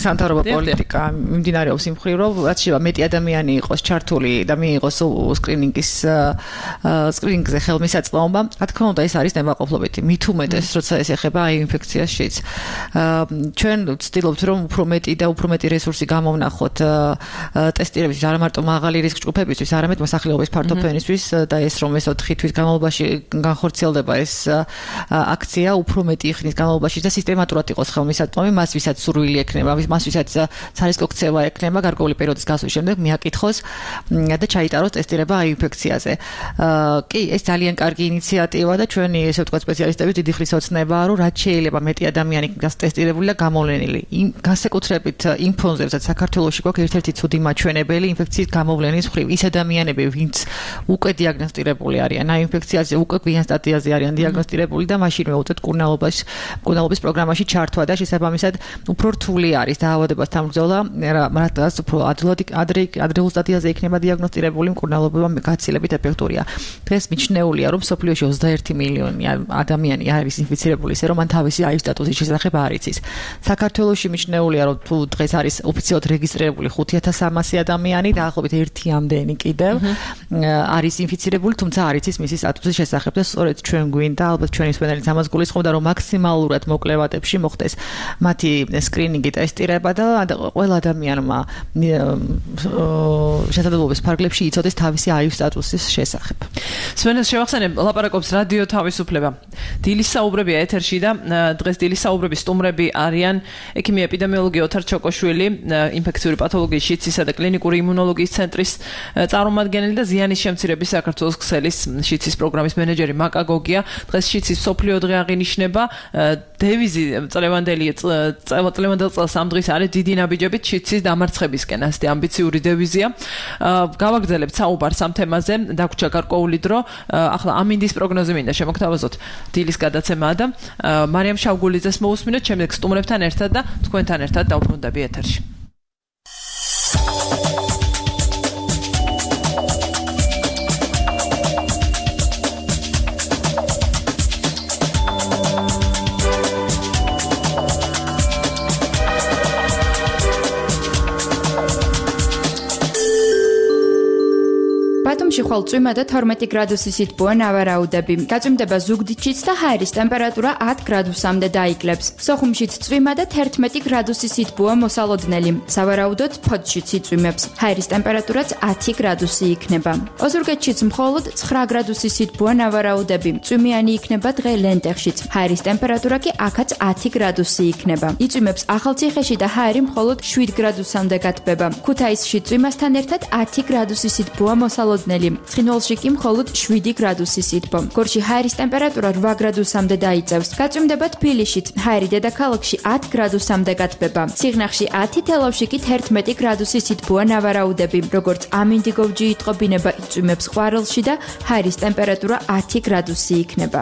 სამთავრობო პოლიტიკა მიმდინარეობს იმ მხრივ, რომ რაც შეიძლება მეტი ადამიანი იყოს ჩართული და მიიღოს სკრინინგის სკრინინგზე ხელმისაწვდომობა. რა თქმა უნდა, ეს არის ნებაყოფლობითი. მით უმეტეს, როცა ეს ეხება აი ინფექციაშიც. ჩვენ ვცდილობთ, რომ უფრო მეტი და უფრო მეტი რესურსი გამოვნახოთ ტესტირებისთვის, არა მარტო მაღალი რისკ ჯგუფებისთვის, არამედ მოსახლეობის ფართოფენისთვის და ეს რომ ეს ოთხი თვის განმავლობაში განხორციელდება ეს აქცია, უფრო მეტი ხნის განმავლობაში და სისტემატურად იყოს ხელმისაწვდომი, მას ვისაც სურვილი ექნება, მას ვისაც სარისკო ქცევა ექნება გარკვეული პერიოდის გასვლის შემდეგ მიაკითხოს და ჩაიტაროს ტესტირება აი ინფექციაზე. კი, ეს ძალიან კარგი ინიციატივა და ჩვენი ესე ვთქვათ სპეციალისტები დიდი ხნის ოცნებაა, რომ რაც შეიძლება მეტი ადამიანი გასტესტირებული და გამოვლენილი. განსაკუთრებით იმ ფონზე, სადაც საქართველოში გვაქვს ერთ-ერთი ცუდი მაჩვენებელი ინფექციის გამოვლენის მხრივ. ის ადამიანები, ვინც უკვე დიაგნოსტირებული არიან, აი ინფექციაზე უკვე გვიან სტადიაზე არიან დიაგნოსტირებული და მაშინვე უწევთ მკურნალობას, მკურნალობის პროგრამაში ჩართვა და შესაბამისად უფრო რთული არის დაავადებასთან ბრძოლა, რადგან უფრო ადრე ადრეულ სტადიაზე იქნება დიაგნოსტირებული მკურნალობა გაცილებით ეფექტურია. დღეს მიჩნეულია, რომ სოფლიოში ოცდაერთი მილიონი ადამიანი არის ინფიცირებული, ისე რომ მან თავისი აი სტატუსის შესახებ არ იცის. საქართველოში მიჩნეულია, რომ თუ დღეს არის ოფიციალურად რეგისტრირებული ხუთი ათას სამასი ადამიანი, დაახლოებით ერთი ამდენი კიდევ არის ინფიცირებული, თუმცა არ იცის მისი სტატუსის შესახებ და სწორედ ჩვენ გვინდა, ალბათ ჩვენი მსმენელიც ამას გულისხმობდა, რომ მაქსიმალურად მოკლევადებში მოხდეს მათი სკრინინგი, ტესტირება და ყველა ადამიანმა შესაძლებლობის ფარგლებში იცოდეს თავისი აი სტატუსის შესახებ. სვენეს შევახსენებ, ლაპარაკობს რადიო თავისუფლება. დილის საუბრებია ეთერში და დღეს დილის საუბრების სტუმრები არიან ექიმი ეპიდემიოლოგი ოთარ ჩოკოშვილი, ინფექციური პათოლოგიის შიცისა და კლინიკური იმუნოლოგიის ცენტრის წარმომადგენელი და ზიანის შემცირების საქართველოს ქსელის შიცის პროგრამის მენეჯერი მაკა გოგია. დღეს შიცის სოფლიო დღე აღინიშნება. დევიზი წლევანდელი წლევანდელ წელს ამ დღის არის დიდი ნაბიჯებით შიცის დამარცხებისკენ. ასეთი ამბიციური დევიზია. გავაგრძელებთ საუბარს ამ თემაზე, დაგვრჩა გარკვეული დრო. ახლა ამინდის პროგნოზი მინდა შემოგთავაზოთ დილის გადაცემაა და მარიამ შავგულიძეს მოусმინოთ, შემდეგ სტუმრებთან ერთად და თქვენთან ერთად დავბრუნდები ეთერში. ბათუმში ხვალ წვიმა და თორმეტი გრადუსის სითბოა ნავარაუდები. გაწვიმდება ზუგდიდშიც და ჰაერის ტემპერატურა ათ გრადუსამდე დაიკლებს. სოხუმშიც წვიმა და თერთმეტი გრადუსის სითბოა მოსალოდნელი. სავარაუდოდ ფოთშიც იწვიმებს. ჰაერის ტემპერატურაც ათი გრადუსი იქნება. ოზურგეთშიც მხოლოდ ცხრა გრადუსის სითბოა ნავარაუდები. წვიმიანი იქნება დღე ლენტეხშიც. ჰაერის ტემპერატურა კი აქაც ათი გრადუსი იქნება. იწვიმებს ახალციხეში და ჰაერი მხოლოდ შვიდ გრადუსამდე გათბება. ქუთაისში წვიმასთან ერთად ათი გრადუსის სითბოა მოსალოდნელი. ცხინვალში კი მხოლოდ შვიდი გრადუსი სითბო. გორში ჰაერის ტემპერატურა რვა გრადუსამდე დაიწევს. გაწვიმდება თბილისშიც, ჰაერი დედაქალაქში ათ გრადუსამდე გათბება. სიღნაღში ათი, თელავში კი თერთმეტი გრადუსი სითბოა ნავარაუდები. როგორც ამინდიგოვჯი იტყობინება, იწვიმებს ყვარელში და ჰაერის ტემპერატურა ათი გრადუსი იქნება.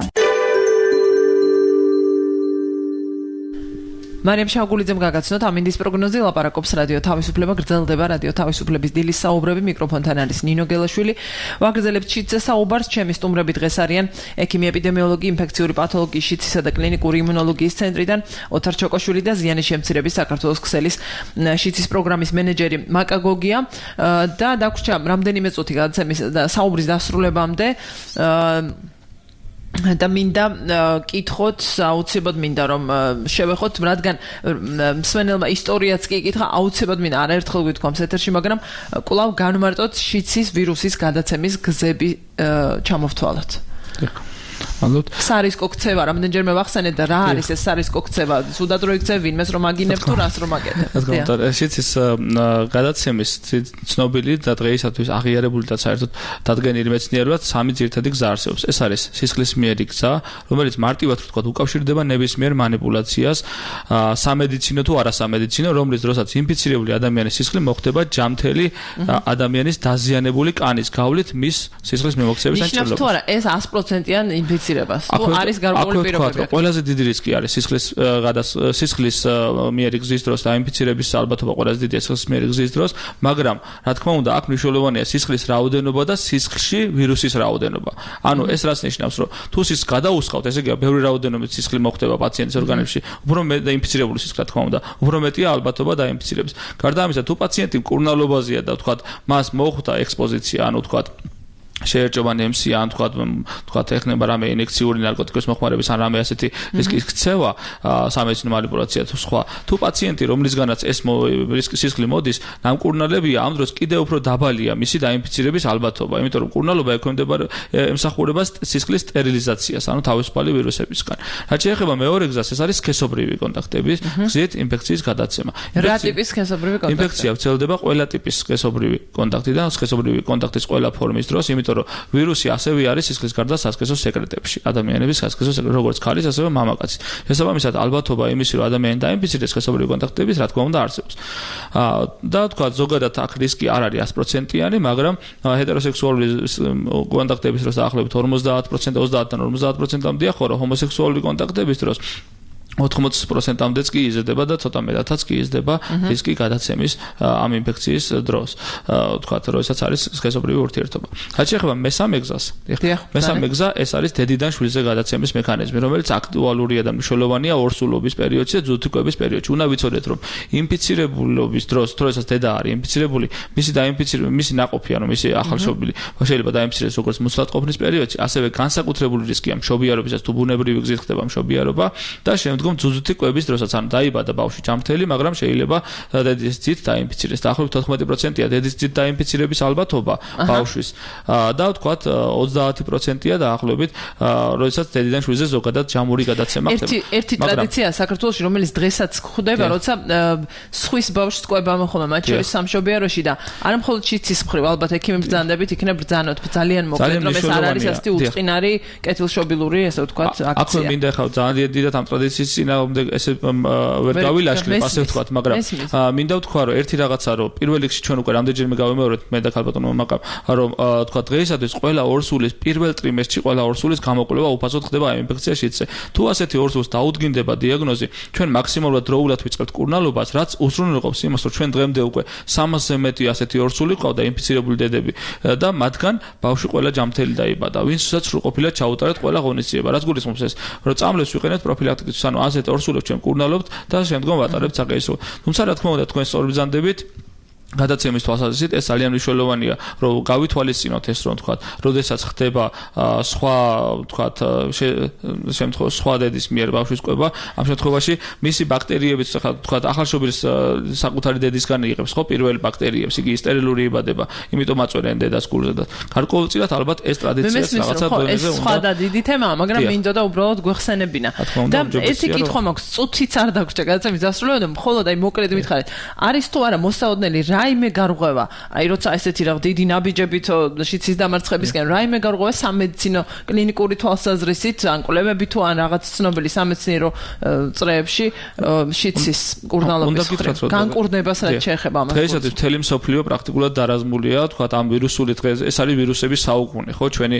მარიამ შავგულიძემ გაგაცნოთ ამინდის პროგნოზი, ლაპარაკობს რადიო თავისუფლება, გრძელდება რადიო თავისუფლების დილის საუბრები, მიკროფონთან არის ნინო გელაშვილი. ვაგრძელებთ შიცზე საუბარს, ჩემი სტუმრები დღეს არიან ექიმი ეპიდემიოლოგი, ინფექციური პათოლოგიის შიცისა და კლინიკური იმუნოლოგიის ცენტრიდან ოთარ ჩოკოშვილი და ზიანის შემცირების საქართველოს ქსელის შიცის პროგრამის მენეჯერი მაკა გოგია და დაგვრჩა რამდენიმე წუთი გადაცემის საუბრის დასრულებამდე და მინდა კითხოთ, აუცილებლად მინდა რომ შევეხოთ, რადგან მსმენელმა ისტორიაც კი ეკითხა, აუცილებლად მინდა არაერთხელ გვითქვამს ეთერში, მაგრამ კვლავ განმარტოთ შიცის ვირუსის გადაცემის გზები ჩამოვთვალოთ. მადლობთ. სარისკო ქცევა, რამდენჯერმე ვახსენეთ და რა არის ეს სარისკო ქცევა? სუდად რო იქცევ ვინმეს რომ აგინებ თუ რას რომ აკეთებ? რა თქმა უნდა, შიცის გადაცემის ცნობილი და დღეისათვის აღიარებული და საერთოდ დადგენილი მეცნიერულად სამი ძირითადი გზა არსებობს. ეს არის სისხლის მიერი გზა, რომელიც მარტივად ვთქვათ უკავშირდება ნებისმიერ манипуляციას, სამედიცინო თუ არასამედიცინო, რომლის დროსაც ინფიცირებული ადამიანის სისხლი მოხდება ჯამთელი ადამიანის დაზიანებული კანის გავლით მის სისხლის მიმოქცევისას ნიშნავს თუ არა ეს sto procent-იან ინფიცირებას. თუ არის გარკვეული პირობები. ყველაზე დიდი რისკი არის სისხლის სისხლის მიერი გზის დროს და ინფიცირების ალბათობა ყველაზე დიდია სისხლის მიერი გზის დროს, მაგრამ რა თქმა უნდა, აქ მნიშვნელოვანია სისხლის რაოდენობა და სისხლში ვირუსის რაოდენობა. ანუ ეს რაც ნიშნავს, რომ თუ სისხლს გადაუსხავთ, ესე იგი ბევრი რაოდენობით სისხლი მოხდება პაციენტის ორგანიზმში, უფრო მეტ და ინფიცირებული სისხლი, რა თქმა უნდა, უფრო მეტია ალბათობა დაინფიცირების. გარდა ამისა, თუ პაციენტი მკურნალობაზეა და ვთქვათ, მას მოხვდა ექსპოზიცია, ანუ ვთქვათ შეერჭობანი ემ სი ან თქვა თქვა ეხნება რამე ინექციური ნარკოტიკების მოხმარების ან რამე ასეთი რისკის ქცევა სამედიცინო манипуляცია თუ სხვა თუ პაციენტი რომლისგანაც ეს რისკის სისხლი მოდის ნამკურნალებია ამ დროს კიდევ უფრო დაბალია მისი დაინფიცირების ალბათობა იმიტომ რომ კურნალობა ექვემდებარა ემსახურება სისხლის სტერილიზაციას ანუ თავისუფალი ვირუსებისგან რაც შეეხება მეორე გზას ეს არის სქესობრივი კონტაქტების გზით ინფექციის გადაცემა რა ტიპის სქესობრივი კონტაქტი ინფექცია ვრცელდება ყველა ტიპის სქესობრივი კონტაქტიდან სქესობრივი კონტაქტის ყველა ფორმის დროს იმიტომ რომ ვირუსი ასევე არის სისხლის გარდა სასქესო სეკრეტებში ადამიანების სასქესო სეკრეტ როგორც ქალის ასევე მამაკაცის შესაბამისად ალბათობა იმისი რომ ადამიანი დაინფიცირდეს სქესობრივი კონტაქტების რა თქმა უნდა არსებობს და თქვა ზოგადად აქ რისკი არ არის ათი პროცენტიანი მაგრამ ჰეტეროსექსუალური კონტაქტების დროს დაახლოებით ორმოცდაათ პროცენტი ოცდაათიდან ორმოცდაათ პროცენტამდეა ხო რომ ჰომოსექსუალური კონტაქტების დროს ოთხმოცი პროცენტამდეც კი იზრდება და ცოტა მეტადაც კი იზრდება რისკი გადაცემის ამ ინფექციის დროს. თქვათ, როდესაც არის სქესობრივი ურთიერთობა. რაც შეეხება მესამე გზას, მესამე გზა ეს არის დედიდან შვილზე გადაცემის მექანიზმი, რომელიც აქტუალურია და მნიშვნელოვანია ორსულობის პერიოდში და ძუძუკვების პერიოდში. უნდა ვიცოდეთ, რომ ინფიცირებულობის დროს, როდესაც დედა არის ინფიცირებული, მისი დაინფიცირება, მისი ნაყოფი, ანუ მისი ახალშობილი შეიძლება დაინფიცირდეს როგორც მუცლადყოფნის პერიოდში, ასევე განსაკუთრებული რისკია მშობიარობისას თუ ბუნებრივი გზით ხდება მშობიარობა და შემდგომ ძუძუთი კვების დროსაც ან დაიბადა ბავშვი ჯამრთელი, მაგრამ შეიძლება დედის ძით დაინფიცირდეს. დაახლოებით ოთხმეტი პროცენტია დედის ძით დაინფიცირების ალბათობა ბავშვის და ვთქვათ ოცდაათი პროცენტია დაახლოებით, როდესაც დედიდან შვილზე ზოგადად ჯამური გადაცემა ხდება. ერთი ერთი ტრადიცია საქართველოში, რომელიც დღესაც გვხვდება, როცა სხვის ბავშვს კვება მოხდება, მათ შორის სამშობიაროში და არა მხოლოდ შიცის მხრივ, ალბათ ექიმი ბრძანდებით იქნება ბრძანოთ ძალიან მოკლედ, რომ ეს არ არის ასეთი უწყინარი კეთილშობილური, ესე ვთქვათ, აქცია. აქ მინდა ხავ ძალიან დიდად ამ ტრადიციის წინააღმდეგ ესე ვერ გავილაშქრებ, ასე ვთქვათ, მაგრამ მინდა ვთქვა, რომ ერთი რაღაცა, რომ პირველ რიგში ჩვენ უკვე რამდენჯერმე გავიმეორეთ მე და ქალბატონო მამაკამ, რომ თქვა დღეისათვის ყველა ორსულის პირველ ტრიმესტრში ყველა ორსულის გამოკვლევა უფასოდ ხდება ამ ინფექციაში. თუ ასეთი ორსულს დაუდგინდება დიაგნოზი, ჩვენ მაქსიმალურად დროულად ვიწყებთ კურნალობას, რაც უზრუნველყოფს იმას, რომ ჩვენ დღემდე უკვე სამასზე მეტი ასეთი ორსული ყავდა ინფიცირებული დედები და მათგან ბავშვი ყველა ჯამრთელი დაიბადა, ვინცაც სრულყოფილად ჩაუტარეთ ყველა ღონისძიება. რაც გულისხმობს ეს, რომ წამლებს ვიყენებთ პროფილაქტიკისთვის, ანუ ასეთ ორსულებს ჩვენ კურნალობთ და შემდგომ ვატარებთ საკეისრო. თუმცა რა თქმა უნდა თქვენ სწორ ბრძანდებით გადაცემის თვალსაზრისით ეს ძალიან მნიშვნელოვანია, რომ გავითვალისწინოთ ეს, რომ თქვათ, როდესაც ხდება სხვა, თქვათ, შემთხვევაში სხვა დედის მიერ ბავშვის კვება, ამ შემთხვევაში მისი ბაქტერიებიც, თქვათ, ახალშობილის საკუთარი დედისგან იღებს ხო პირველ ბაქტერიებს, იგი სტერილური იბადება, იმიტომ აწვენენ დედას გულზე და გარკვეულწილად ალბათ ეს ტრადიციაც რაღაცა დონეზე უნდა. სხვა და დიდი თემაა, მაგრამ მინდოდა უბრალოდ გვეხსენებინა. და ერთი კითხვა მაქვს, წუთიც არ დაგვრჩა გადაცემის დასრულებამდე, მხოლოდ აი მოკლედ მითხარით, არის თუ არა მოსაოდნელი რაიმე გარღვევა, აი როცა ესეთი რა დიდი ნაბიჯებით შიცის დამარცხებისკენ რაიმე გარღვევა სამედიცინო კლინიკური თვალსაზრისით, ან კვლევები თუ ან რაღაც ცნობილი სამეცნიერო წრეებში შიცის კურნალობის განკურნებას რაც შეეხება ამას. დღეისათვის მთელი მსოფლიო პრაქტიკულად დარაზმულია, თქვათ, ამ ვირუსული დღეს ეს არის ვირუსების საუკუნე, ხო, ჩვენი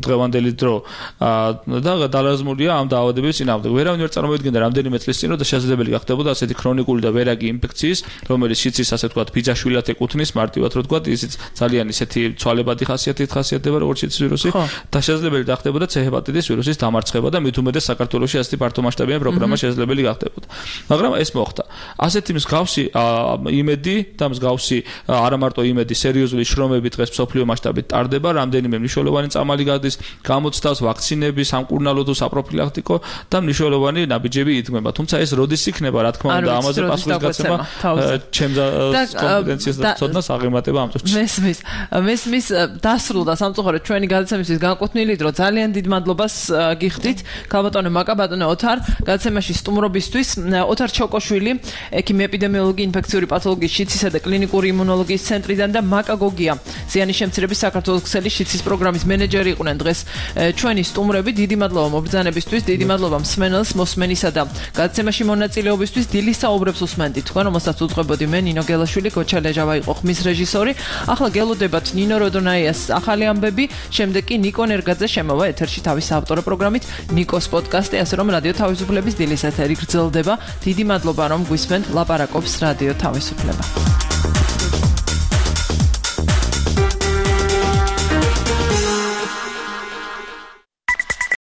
დღევანდელი დრო და დარაზმულია ამ დაავადების წინააღმდეგ. ვერავინ ვერ წარმოვიდგენდა რამდენიმე წლის წინ, რომ შესაძლებელი გახდებოდა ასეთი ქრონიკული და ვერაგი ინფექციის, რომელიც შიცის ასე ვთქვათ, ბიძაშვილად ეკუთვნის მარტივად რო ვთქვათ, ისიც ძალიან ისეთი ცვალებადი ხასიათით ხასიათდება, როგორც შიცის ვირუსი და შესაძლებელი გახდებოდა C ჰეპატიტის ვირუსის დამარცხება და მით უმეტეს საქართველოში ასეთი ფართომასშტაბიანი პროგრამა შესაძლებელი გახდებოდა. მაგრამ ეს მოხდა. ასეთი მსგავსი იმედი და მსგავსი არა მარტო იმედი, სერიოზული შრომები დღეს მსოფლიო მასშტაბით ტარდება, რამდენიმე მნიშვნელოვანი წამალი გადის, გამოცდას, ვაქცინები, სამკურნალო თუ საპროფილაქტიკო და მნიშვნელოვანი ნაბიჯები იდგმება. თუმცა ეს როდის იქნება, რა თქმა უნდა, ამაზე პასუხისგაცემა ჩემს კომპეტენციას და ცოდნას აღემატება ამ წუთში. მესმის, მესმის დასრულდა სამწუხაროდ ჩვენი გადაცემისთვის განკუთვნილი დრო. ძალიან დიდ მადლობას გიხდით ქალბატონო მაკაბატონო ოთარ გადაცემაში სტუმრობისთვის. ოთარ ჩოკოშვილი, ექიმი ეპიდემიოლოგი, ინფექციური პათოლოგიის, შიცისა და კლინიკური იმუნოლოგიის ცენტრიდან და მაკაგოგია, ზიანის შემცირების საქართველოს ქსელის შიცის პროგრამის მენეჯერი იყვნენ დღეს ჩვენი სტუმრები. დიდი მადლობა მობრძანებისთვის, დიდი მადლობა მსმენელს, მოსმენისა და გადაცემაში მონაწილეობისთვის. დილის საუბრებს უსმენდით თქვენ, რომელსაც უძღვებოდი მე ნინო გელაშვილი, კოჩა ლეჟავა იყო ხმის რეჟისორი. ახლა გელოდებათ ნინო როდონაიას ახალი ამბები, შემდეგ კი ნიკო ნერგაძე შემოვა ეთერში თავის საავტორო პროგრამით ნიკოს პოდკასტი, ასე რომ რადიო თავისუფლების დილის ეთერი გრძელდება. დიდი მადლობა რომ გვისმენთ, ლაპარაკობს რადიო თავისუფლება.